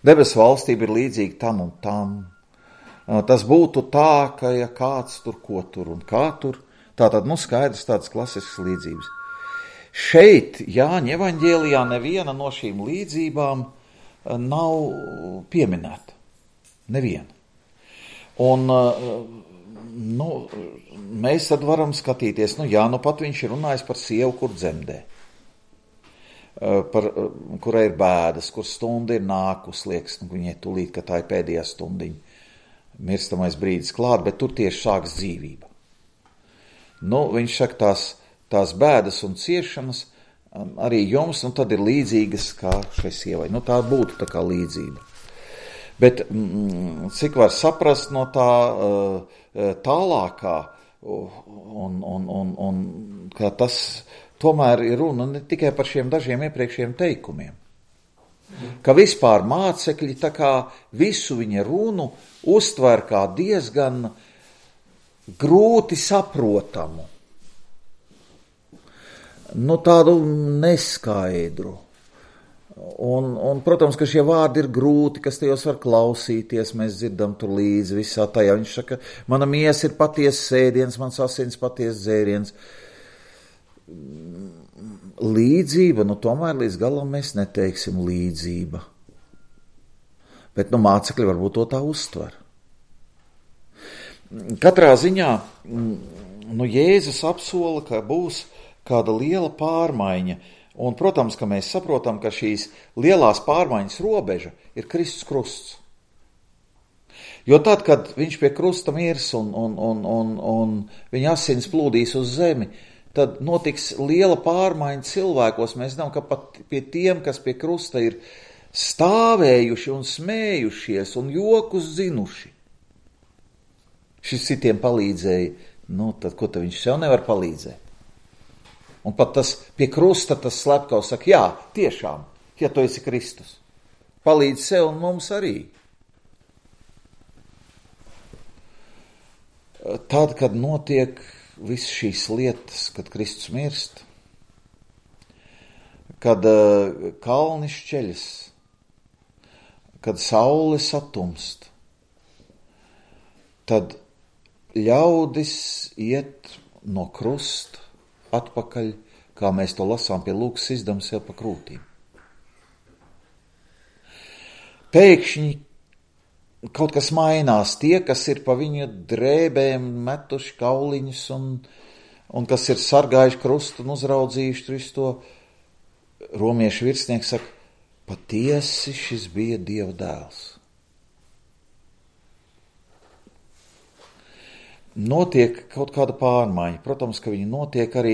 Debesu valstība ir līdzīga tam un tam. Tas būtu tā, ka ja kāds tur, ko tur un kā tur, tātad, skaidrs tādas klasiskas līdzības. Šeit Jāņa evaņģēlijā neviena no šīm līdzībām nav pieminēta. Neviena. Un, mēs tad skatīties, pat viņš ir runājis par sievu, kur dzemdē. Kurai ir bēdas, kur stunda ir nākus, liekas, viņai tūlīt, ka tā ir pēdējā stundiņa, mirstamais brīdis klāt, bet tur tieši sāks dzīvība. Viņš saka, tās bēdas un ciešanas arī jums, tad ir līdzīgas kā šai sievai. Tā būtu tā kā līdzība. Bet cik var saprast no tā tālākā, un ka tas tomēr ir runa ne tikai par šiem dažiem iepriekšējiem teikumiem. Ka vispār mācekļi tā kā visu viņa runu uztver kā diezgan grūti saprotamu. Tādu neskaidru. Un, protams, ka šie vārdi ir grūti, kas tajos var klausīties, mēs dzirdam tur līdzi visā tajā. Viņš saka, mana miesa ir patiesa sēdiens, mans asins patiesa dzēriens. Līdzība, tomēr līdz galam mēs neteiksim līdzība. Bet, mācekļi varbūt to tā uztver. Katrā ziņā, Jēzus apsola, ka būs kāda liela pārmaiņa. Un, protams, ka mēs saprotam, ka šīs lielās pārmaiņas robeža ir Kristus krusts. Jo tad, kad viņš pie krusta mirs un viņa asins plūdīs uz zemi, tad notiks liela pārmaiņa cilvēkos. Mēs zinām, ka pat pie tiem, kas pie krusta ir stāvējuši un smējušies un jokus zinuši, šis citiem palīdzēja, tad ko tad viņš sev nevar palīdzēt? Un pat tas pie krusta, tas slepkavs saka, jā, tiešām, ja tu esi Kristus, palīdz sev un mums arī. Tad, kad notiek visas šīs lietas, kad Kristus mirst, kad kalni šķeļas, kad saule satumst, tad ļaudis iet no krusta atpakaļ, kā mēs to lasām pie Lūkas izdam sev pa krūtīm. Pēkšņi kaut kas mainās. Tie, kas ir pa viņa drēbēm metuši kauliņus un kas ir sargājuši krustu un uzraudzījuši visu to, romiešu virsnieks saka, patiesi šis bija Dieva dēls. Notiek kaut kāda pārmaiņa. Protams, ka viņi notiek arī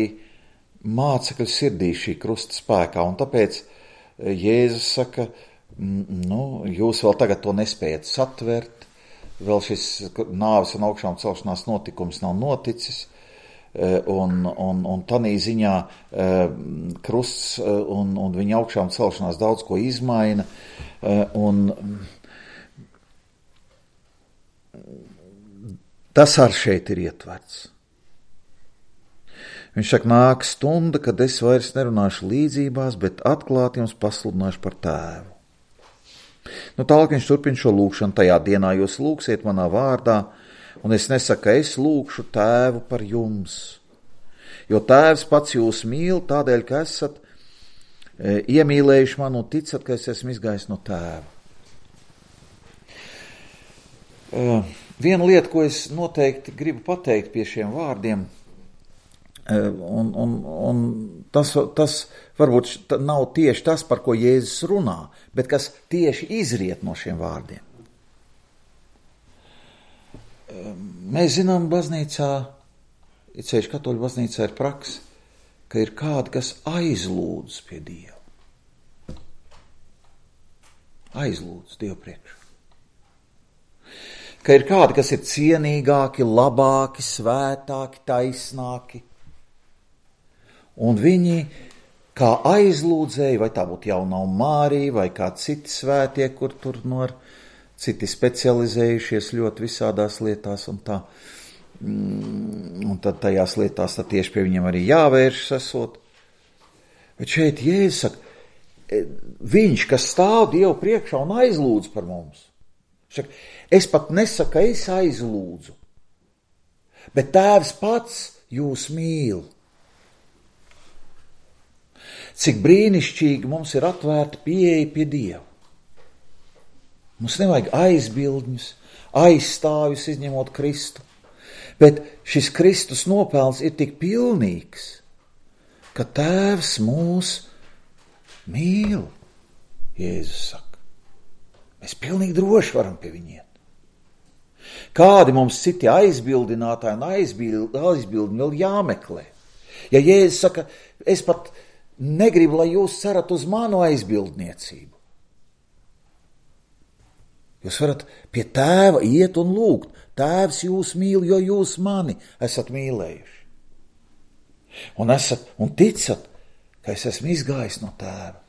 mācekļu sirdī šī krusta spēkā, un tāpēc Jēzus saka, jūs vēl tagad to nespējat satvert, vēl šis nāves un augšām celšanās notikums nav noticis, un tanī ziņā krusts un viņa augšām celšanās daudz ko izmaina, un tas ar šeit ir ietverts. Viņš saka, nāk stunda, kad es vairs nerunāšu līdzībās, bet atklāti jums pasludināšu par tēvu. Tālāk viņš turpina šo lūkšanu. Tajā dienā jūs lūksiet manā vārdā, un es nesaku, ka es lūkšu tēvu par jums. Jo tēvs pats jūs mīl, tādēļ, ka esat iemīlējuši mani un ticat, ka es esmu izgājis no tēva. Viena lieta, ko es noteikti gribu pateikt pie šiem vārdiem, un tas varbūt nav tieši tas, par ko Jēzus runā, bet kas tieši izriet no šiem vārdiem. Mēs zinām, baznīcā, it sevišķi katoļu baznīcā ir praksa, ka ir kādi, kas aizlūdz pie Dieva. Aizlūdz Dievu priekšā. Ka ir kādi, kas ir cienīgāki, labāki, svētāki, taisnāki. Un viņi kā aizlūdzēji, vai tā būtu Jaunā Mārija, vai kā citi svētie, kur tur citi specializējušies ļoti visādās lietās un tā. Un tad tajās lietās tad tieši pie viņiem arī jāvēršas esot. Bet šeit Jēzus saka, viņš, kas stāv Dievu priekšā un aizlūdz par mums. Saka, es pat nesaku, ka es aizlūdzu, bet Tēvs pats jūs mīl. Cik brīnišķīgi mums ir atvērta pieeja pie Dieva. Mums nevajag aizbildņus, aizstāvjus izņemot Kristu, bet šis Kristus nopelns ir tik pilnīgs, ka Tēvs mūs mīl, Jēzus saka. Mēs pilnīgi droši varam pie viņiem. Kādi mums citi aizbildinātāji un aizbildņi vēl jāmeklē? Ja Jēzus saka, es pat negribu, lai jūs cerat uz manu aizbildniecību. Jūs varat pie Tēva iet un lūgt. Tēvs jūs mīl, jo jūs mani esat mīlējuši. Un ticat, ka es esmu izgājis no Tēva.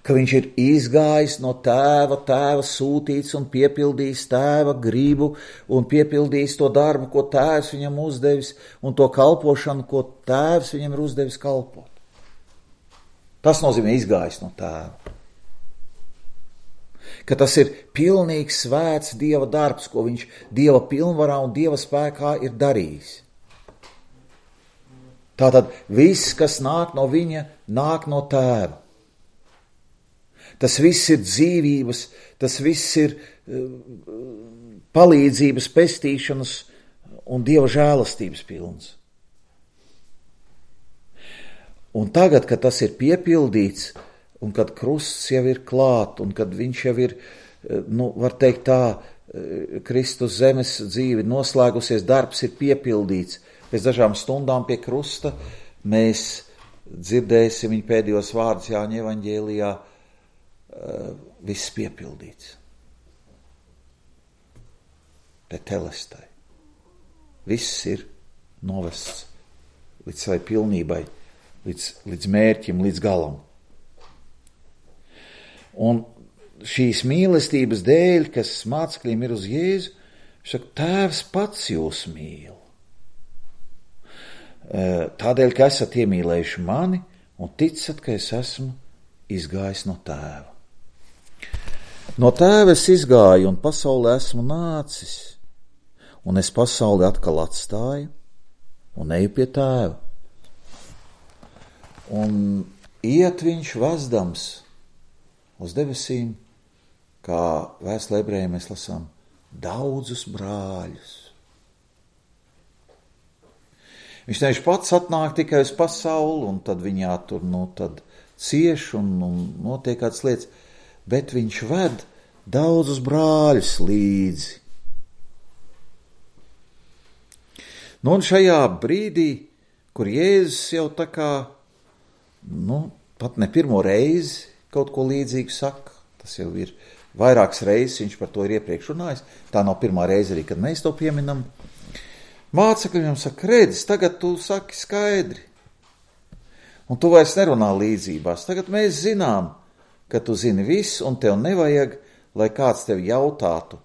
Ka viņš ir izgājis no Tēva sūtīts un piepildījis Tēva gribu un piepildījis to darbu, ko Tēvs viņam uzdevis, un to kalpošanu, ko Tēvs viņam ir uzdevis kalpot. Tas nozīmē izgājis no Tēva. Ka tas ir pilnīgs svēts Dieva darbs, ko viņš Dieva pilnvarā un Dieva spēkā ir darījis. Tātad viss, kas nāk no viņa, nāk no Tēva. Tas viss ir dzīvības, tas viss ir palīdzības, pestīšanas un Dieva žēlastības pilns. Un tagad, kad tas ir piepildīts, un kad krusts jau ir klāt, un kad viņš jau ir, var teikt tā, Kristus zemes dzīve noslēgusies, darbs ir piepildīts. Pēc dažām stundām pie krusta mēs dzirdēsim viņa pēdējos vārdus Jāņa evaņģēlijā, viss piepildīts. Tetelestai. Viss ir novests līdz savai pilnībai, līdz mērķim, līdz galam. Un šīs mīlestības dēļ, kas mācekļiem ir uz Jēzu, saka, Tēvs pats jūs mīl. Tādēļ, ka esat iemīlējuši mani un ticat, ka es esmu izgājis no Tēva. No Tēva es izgāju un pasaulē esmu nācis, un es pasauli atkal atstāju un eju pie Tēva. Un iet viņš vezdams uz debesīm, kā vēstulē ebrejiem mēs lasām, daudzus brāļus. Viņš nevis pats atnāk tikai uz pasauli, un tad viņā tur, tad cieš un notiek kādas lietas, bet viņš ved daudzus brāļus līdzi. Un šajā brīdī, kur Jēzus jau tā kā, pat ne pirmo reizi kaut ko līdzīgu saka, tas jau ir vairākas reizes, viņš par to ir iepriekš runājis, tā nav pirmā reize arī, kad mēs to pieminam. Mācekļi viņam saka, redz, tagad tu saki skaidri, un tu vairs nerunā līdzībās, tagad mēs zinām, ka tu zini visu, un tev nevajag, lai kāds tev jautātu.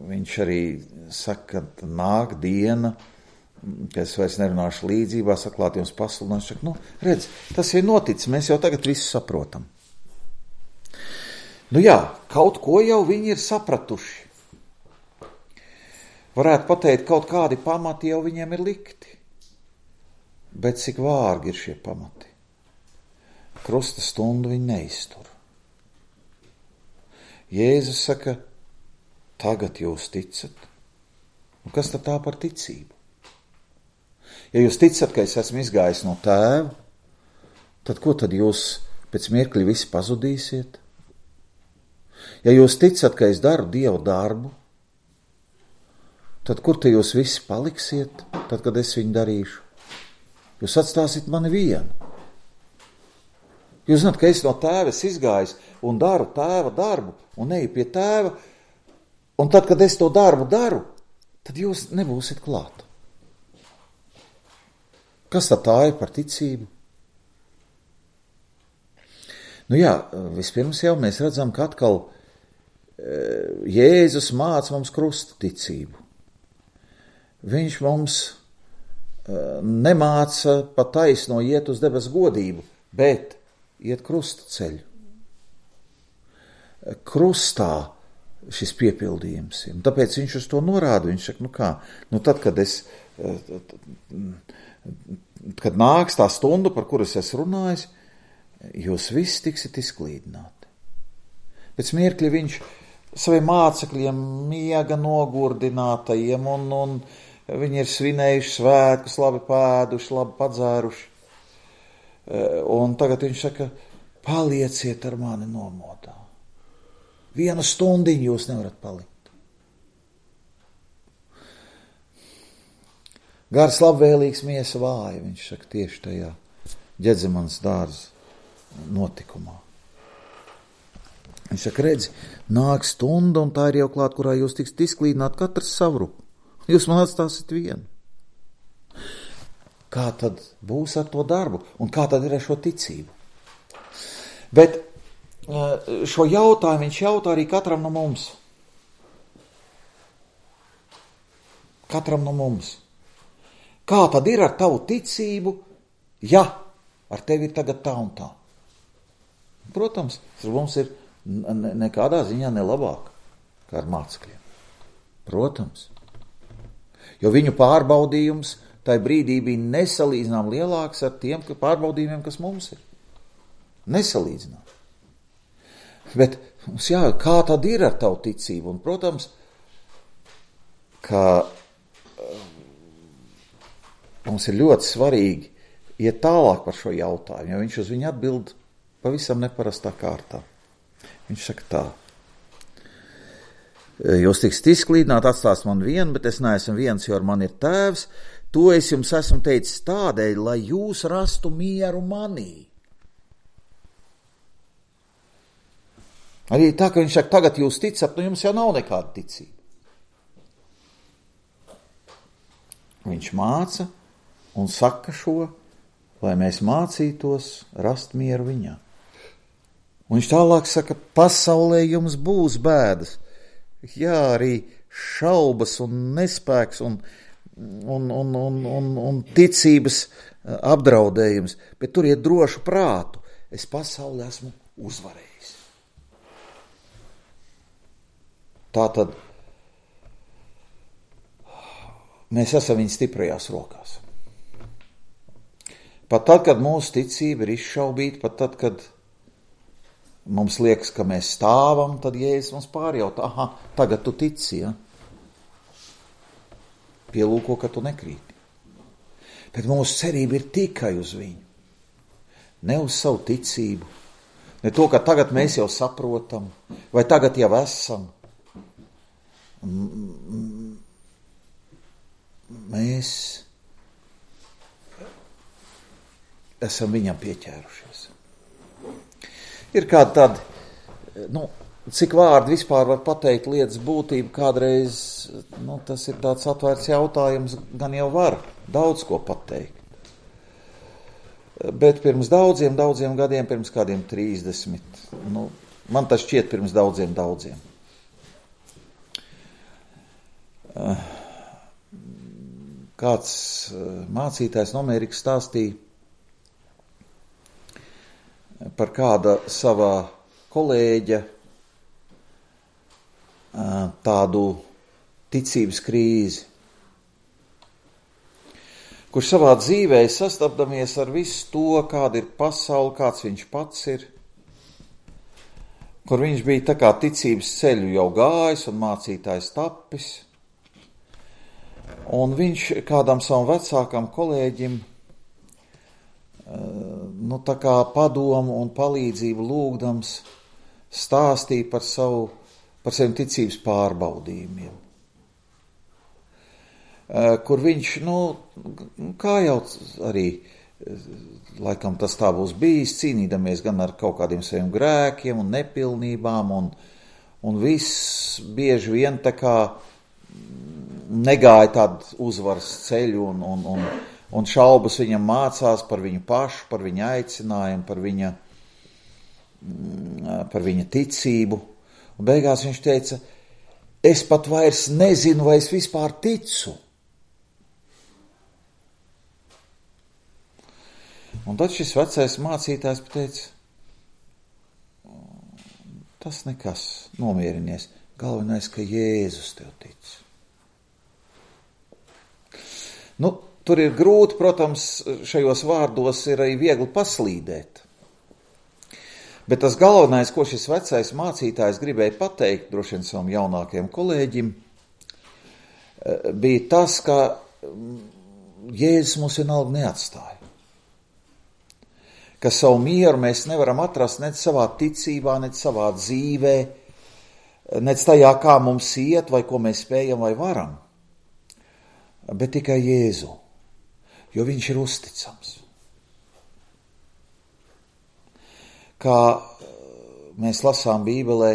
Viņš arī saka, ka nāk diena, ka es vairs nerunāšu līdzībās, atklāt jums pasludināšu. Saka, redz, tas ir noticis, mēs jau tagad visu saprotam. Kaut ko jau viņi ir sapratuši. Varētu pateikt, kaut kādi pamati jau viņiem ir likti. Bet cik vārgi ir šie pamati? Krusta stundu viņi neiztur. Jēzus saka, tagad jūs ticat. Un kas tad tā par ticību? Ja jūs ticat, ka es esmu izgājis no Tēva, tad ko tad jūs pēc mirkļa visi pazudīsiet? Ja jūs ticat, ka es daru Dieva darbu, tad kur te jūs visi paliksiet, tad, kad es viņu darīšu? Jūs atstāsiet mani vienu. Jūs zināt, ka es no Tēva esmu izgājis un daru Tēva darbu un eju pie Tēva, un tad, kad es to darbu daru, tad jūs nebūsiet klāt. Kas tad tā ir par ticību? Nu jā, vispirms jau mēs redzam, ka atkal Jēzus māca mums krusta ticību. Viņš mums nemāca pa taisno iet uz debesu godību, bet iet krusta ceļu. Krustā šis piepildījums ir. Tāpēc viņš uz to norāda. Viņš saka, tad, kad nāks tā stunda, par kuras es runāju, jūs visi tiksiet izklīdināti. Pēc mirkļa viņš saviem mācekļiem miega nogurdinātajiem, un viņi ir svinējuši svētkus, labi pēduši, labi padzēruši. Un tagad viņš saka, palieciet ar mani nomodā. 1 stundiņu jūs nevarat palikt. Gars labvēlīgs, miesa vāja, viņš saka tieši tajā Ģedzemanas dārza notikumā. Viņš saka, redzi, nāk stunda, un tā ir jau klāt, kurā jūs tiksiet izklīdināt katrs savu. Jūs man atstāsiet vienu. Kā tad būs ar to darbu, un kā tad ir ar šo ticību? Bet šo jautājumu viņš jautā arī katram no mums. Katram no mums. Kā tad ir ar tavu ticību, ja ar tevi ir tagad tā un tā? Protams, tas mums ir nekādā ziņā nelabāk kā ar mācekļiem. Protams. Jo viņu pārbaudījums tajā brīdī bija nesalīdzinām lielāks ar tiem pārbaudījumiem, kas mums ir. Nesalīdzinām. Bet kā tad ir ar tavu ticību? Un, protams, ka mums ir ļoti svarīgi iet tālāk par šo jautājumu, jo viņš uz viņu atbild pavisam neparastā kārtā. Viņš saka tā. Jūs tiksiet izklīdināt, atstās man vienu, bet es neesmu viens, jo ar mani ir tēvs. To es jums esmu teicis tādēļ, lai jūs rastu mieru manī. Arī tā, ka viņš saka, tagad jūs ticat, jums jau nav nekāda ticība. Viņš māca un saka šo, lai mēs mācītos rast mieru viņā. Un viņš tālāk saka, pasaulē jums būs bēdas. Jā, arī šaubas un nespēks un ticības apdraudējums, bet turiet drošu prātu. Es pasauli esmu uzvarējis. Tātad mēs esam viņa stiprajās rokās. Pat tad, kad mūsu ticība ir izšaubīta, pat tad, kad mums liekas, ka mēs stāvam, tad Jēzus mums pārjautā, tagad tu tici, ja? Pielūko, ka tu nekrīti. Bet mūsu cerība ir tikai uz viņu. Ne uz savu ticību. Ne to, ka tagad mēs jau saprotam, vai tagad jau esam. Mēs esam viņam pieķērušies. Ir kādi tādi, cik vārdi vispār var pateikt lietas būtību, kādreiz, tas ir tāds atvērts jautājums, gan jau var daudz ko pateikt. Bet pirms daudziem gadiem, pirms kādiem 30, man tas šķiet pirms daudziem. Kāds mācītājs no Amerikas stāstīja par kāda savā kolēģa tādu ticības krīzi, kurš savā dzīvē sastapdamies ar visu to, kāda ir pasaule, kāds viņš pats ir, kur viņš bija tā kā ticības ceļu jau gājis un mācītājs tapis. Un viņš kādam savam vecākam kolēģim tā kā padomu un palīdzību lūgdams stāstīja par saviem ticības pārbaudījumiem. Kur viņš, kā jau arī, laikam tas tā būs bijis, cīnīdamies gan ar kaut kādiem saviem grēkiem un nepilnībām un viss bieži vien tā kā negāja tādu uzvaras ceļu un šaubas viņam mācās par viņu pašu, par viņa aicinājumu, par viņa ticību. Un beigās viņš teica, es pat vairs nezinu, vai es vispār ticu. Un tad šis vecais mācītājs pateica, tas nekas, nomierinies. Galvenais, ka Jēzus tev tic. Nu, tur ir grūti, protams, šajos vārdos ir arī viegli paslīdēt. Bet tas galvenais, ko šis vecais mācītājs gribēja pateikt, droši vien savam jaunākajam kolēģim, bija tas, ka Jēzus mūs vienalga neatstāja. Ka savu mieru mēs nevaram atrast nec savā ticībā, nec savā dzīvē, nec tajā, kā mums iet, vai ko mēs spējam vai varam, bet tikai Jēzu, jo viņš ir uzticams. Kā mēs lasām Bībelē,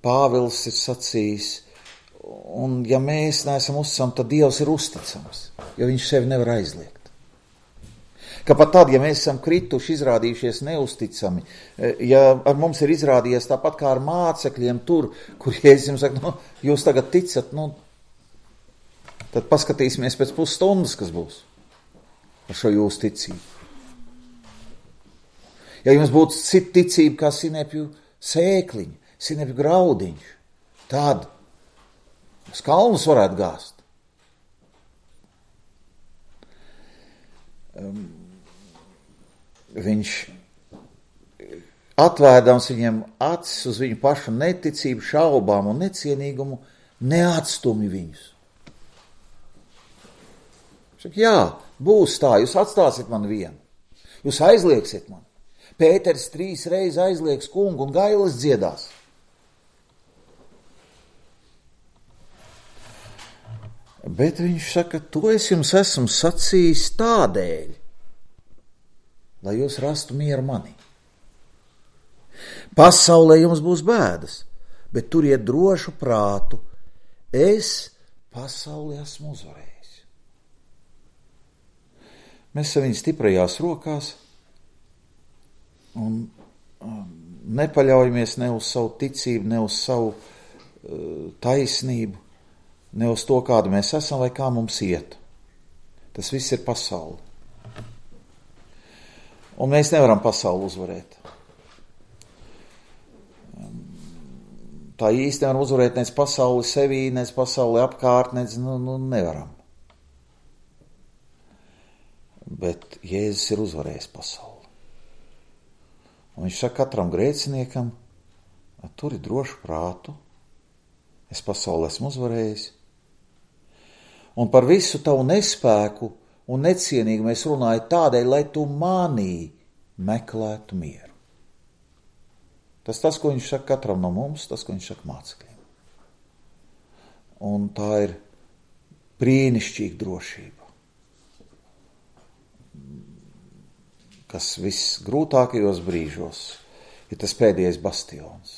Pāvils ir sacījis, un ja mēs neesam uzticami, tad Dievs ir uzticams, jo viņš sevi nevar aizliegt. Ka pat tad, ja mēs esam krituši, izrādījušies neusticami, ja ar mums ir izrādījies tāpat kā ar mācekļiem tur, kur Jēzus jums saka, jūs tagad ticat, tad paskatīsimies pēc pusstundas, kas būs ar šo jūsu ticību. Ja jums būtu cita ticība kā sinepju sēkliņa, sinepju graudiņš, tad uz kalnus varētu gāzt. Viņš atvērdams viņiem acis uz viņu pašu neticību, šaubām un necienīgumu, neatstumj viņus. Saka, jā, būs tā, jūs atstāsiet man vienu, jūs aizliegsiet man. Pēters 3 reizes aizliegs kungu un gailis dziedās. Bet viņš saka, to es jums esmu sacījis tādēļ, lai jūs rastu mieru manī. Pasaulē jums būs bēdas, bet turiet drošu prātu. Es pasauli esmu uzvarējis. Mēs esam viņa stiprajās rokās un nepaļaujamies ne uz savu ticību, ne uz savu taisnību, ne uz to, kāda mēs esam vai kā mums iet. Tas viss ir pasaule. Un mēs nevaram pasauli uzvarēt. Tā īsti nevaram uzvarēt nec pasauli sevī, nec pasauli apkārt, nec, nevaram. Bet Jēzus ir uzvarējis pasauli. Un viņš saka katram grēciniekam, turi drošu prātu, es pasauli esmu uzvarējis. Un par visu tavu nespēku un necienīgumu es runāju tādēļ, lai tu manī meklētu mieru. Tas, ko viņš saka katram no mums, tas, ko viņš saka mācekļiem. Un tā ir brīnišķīga drošība, kas visgrūtākajos brīžos ir tas pēdējais bastions.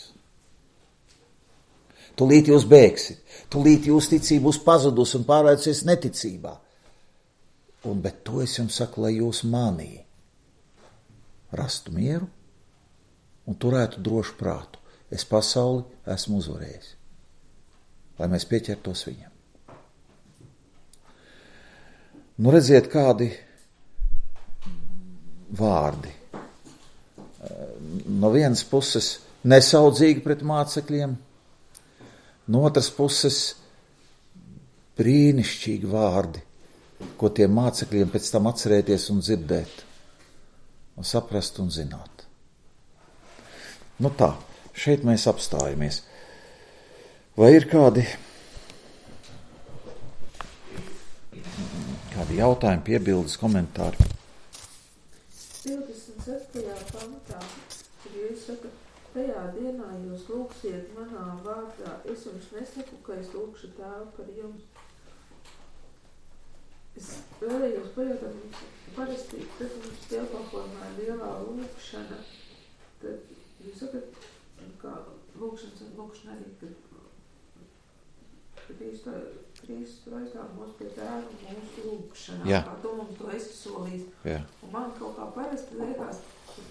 Tūlīt jūs bēgsit, tūlīt jūs ticība būs pazudus un pārvērsies neticībā. Bet to es jums saku, lai jūs manī rastu mieru un turētu drošu prātu. Es pasauli esmu uzvarējis, lai mēs pieķertos viņam. Redziet, kādi vārdi. No vienas puses nesaudzīgi pret mācekļiem, no otras puses brīnišķīgi vārdi, ko tiem mācekļiem pēc tam atcerēties un dzirdēt, un saprast un zināt. Tā, šeit mēs apstājamies. Vai ir kādi jautājumi, piebildes, komentāri? 26. pantā, kur Jēzus saka, tajā dienā jūs lūgsiet manā vārdā, es jums nesaku, ka es lūgšu Tēvu par jums. Es vēlējos pajautāt, parasti, tad mums dievkalpojumā ir lielā lūgšana, tad jūs sakat, kā lūgšana arī, ka Kristus aizgāja mūs pie Tēva mūsu lūkšanā, Jā. kā tu mums to esi solījis. Jā. Un man kaut kā parasti liekas,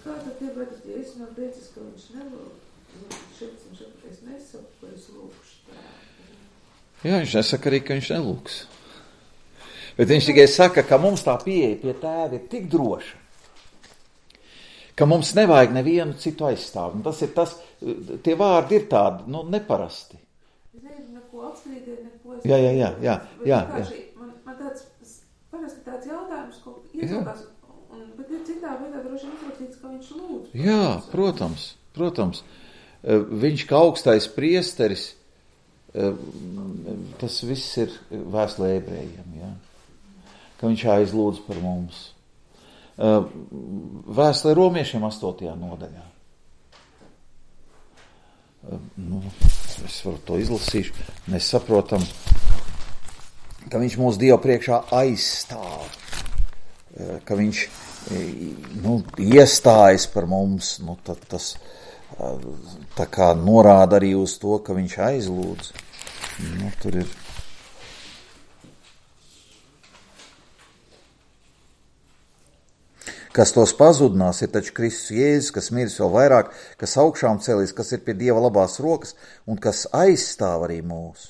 kā tad tie, bet ja es nav teicis, ka viņš nelūk, es nesaku, ka es lūkšu Tēvu. Jā, viņš nesaka arī, ka viņš nelūks. Bet viņš tikai saka, ka mums tā pieeja pie Tēva ir tik droša, ka mums nevajag nevienu citu aizstāvu. Un tas ir tas, tie vārdi ir tādi, neparasti. Es nevienu neko apstrīdēt, neko es... Jā. Man tāds, parasti tāds jautājums, ko iesākās, bet ir citā veidā droši uzrakstīts, ka viņš lūdz. Jā, protams. Viņš kā augstais priesteris, tas viss ir vēstulē ebrejiem, jā. Ka viņš aizlūdz par mums. Vēstulē romiešiem 8. nodaļā. Es varu to izlasīšu. Mēs saprotam, ka viņš mūsu Dievu priekšā aizstāv. Ka viņš iestājas par mums. Tad tas tā kā norāda arī uz to, ka viņš aizlūdz. Tur ir. Kas tos pazudinās, ir taču Kristus Jēzus, kas miris vēl vairāk, kas augšām cēlīs, kas ir pie Dieva labās rokas un kas aizstāv arī mūs.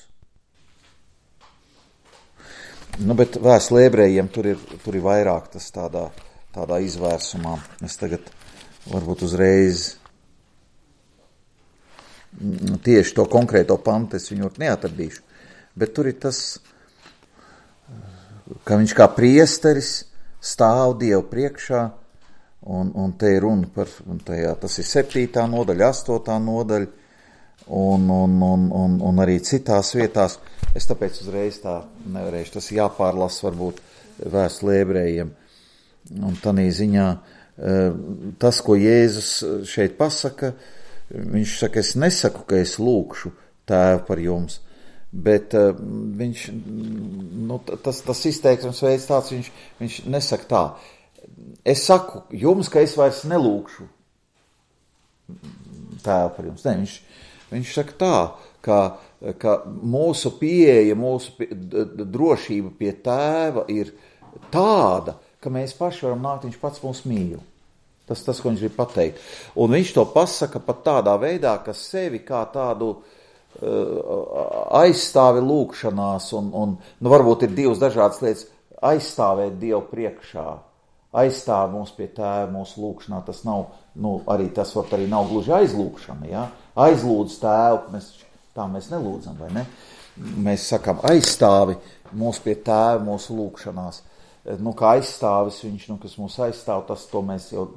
Bet vēstulē ebrejiem tur ir vairāk tas tādā izvērsumā. Es tagad varbūt uzreiz tieši to konkrēto pantu es viņu neatradīšu, bet tur ir tas, ka viņš kā priesteris stāv Dievu priekšā, un te ir runa par, tas ir 7. nodaļa, 8. nodaļa, un arī citās vietās. Es tāpēc uzreiz tā nevarēšu, tas jāpārlasa varbūt vēstulē ebrejiem. Un tādā ziņā tas, ko Jēzus šeit pasaka, viņš saka, es nesaku, ka es lūkšu Tēvu par jums, bet viņš, tas izteiksmes veids tāds, viņš nesaka tā. Es saku jums, ka es vairs nelūkšu Tēvu par jums. Ne, viņš saka tā, ka mūsu pieeja, mūsu drošība pie Tēva ir tāda, ka mēs paši varam nākt, viņš pats mūs mīl. Tas, ko viņš grib pateikt. Un viņš to pasaka pat tādā veidā, ka sevi kā tādu aizstāvi lūkšanās, un varbūt ir divas dažādas lietas, aizstāvēt Dievu priekšā, aizstāv mūs pie Tēva mūsu lūkšanā, tas nav, arī tas varbūt arī nav gluži aizlūkšana, ja? Aizlūdz Tēvu, mēs nelūdzam, vai ne? Mēs sakam, aizstāvi mūs pie Tēva mūsu lūkšanās, kā aizstāvis viņš, kas mūs aizstāv, to mēs jau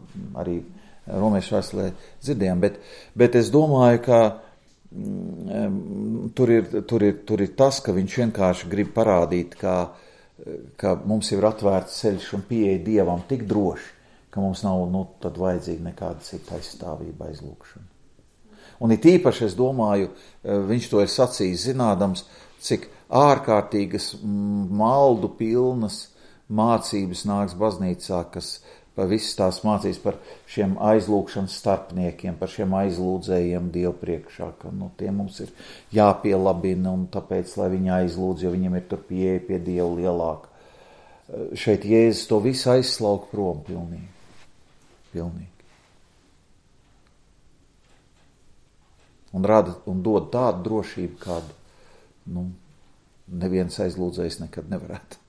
arī romiešu vēstulē dzirdējām, bet es domāju, ka tur ir tas, ka viņš vienkārši grib parādīt, ka mums ir atvērts ceļš un pieeja Dievam tik droši, ka mums nav tad vajadzīga nekāda cita aizstāvība, aizlūkšana. Un it īpaši, es domāju, viņš to ir sacījis zinādams, cik ārkārtīgas maldu pilnas mācības nāks baznīcā, kas par visas tās mācīs par šiem aizlūkšanas starpniekiem, par šiem aizlūdzējiem Dievu priekšā, ka tie mums ir jāpielabina, un tāpēc, lai viņi aizlūdz, jo viņiem ir tur pieeja pie Dievu lielāka. Šeit Jēzus to visu aizslauk prom pilnīgi. Un rada un dod tādu drošību, kādu neviens aizlūdzējs nekad nevarētu.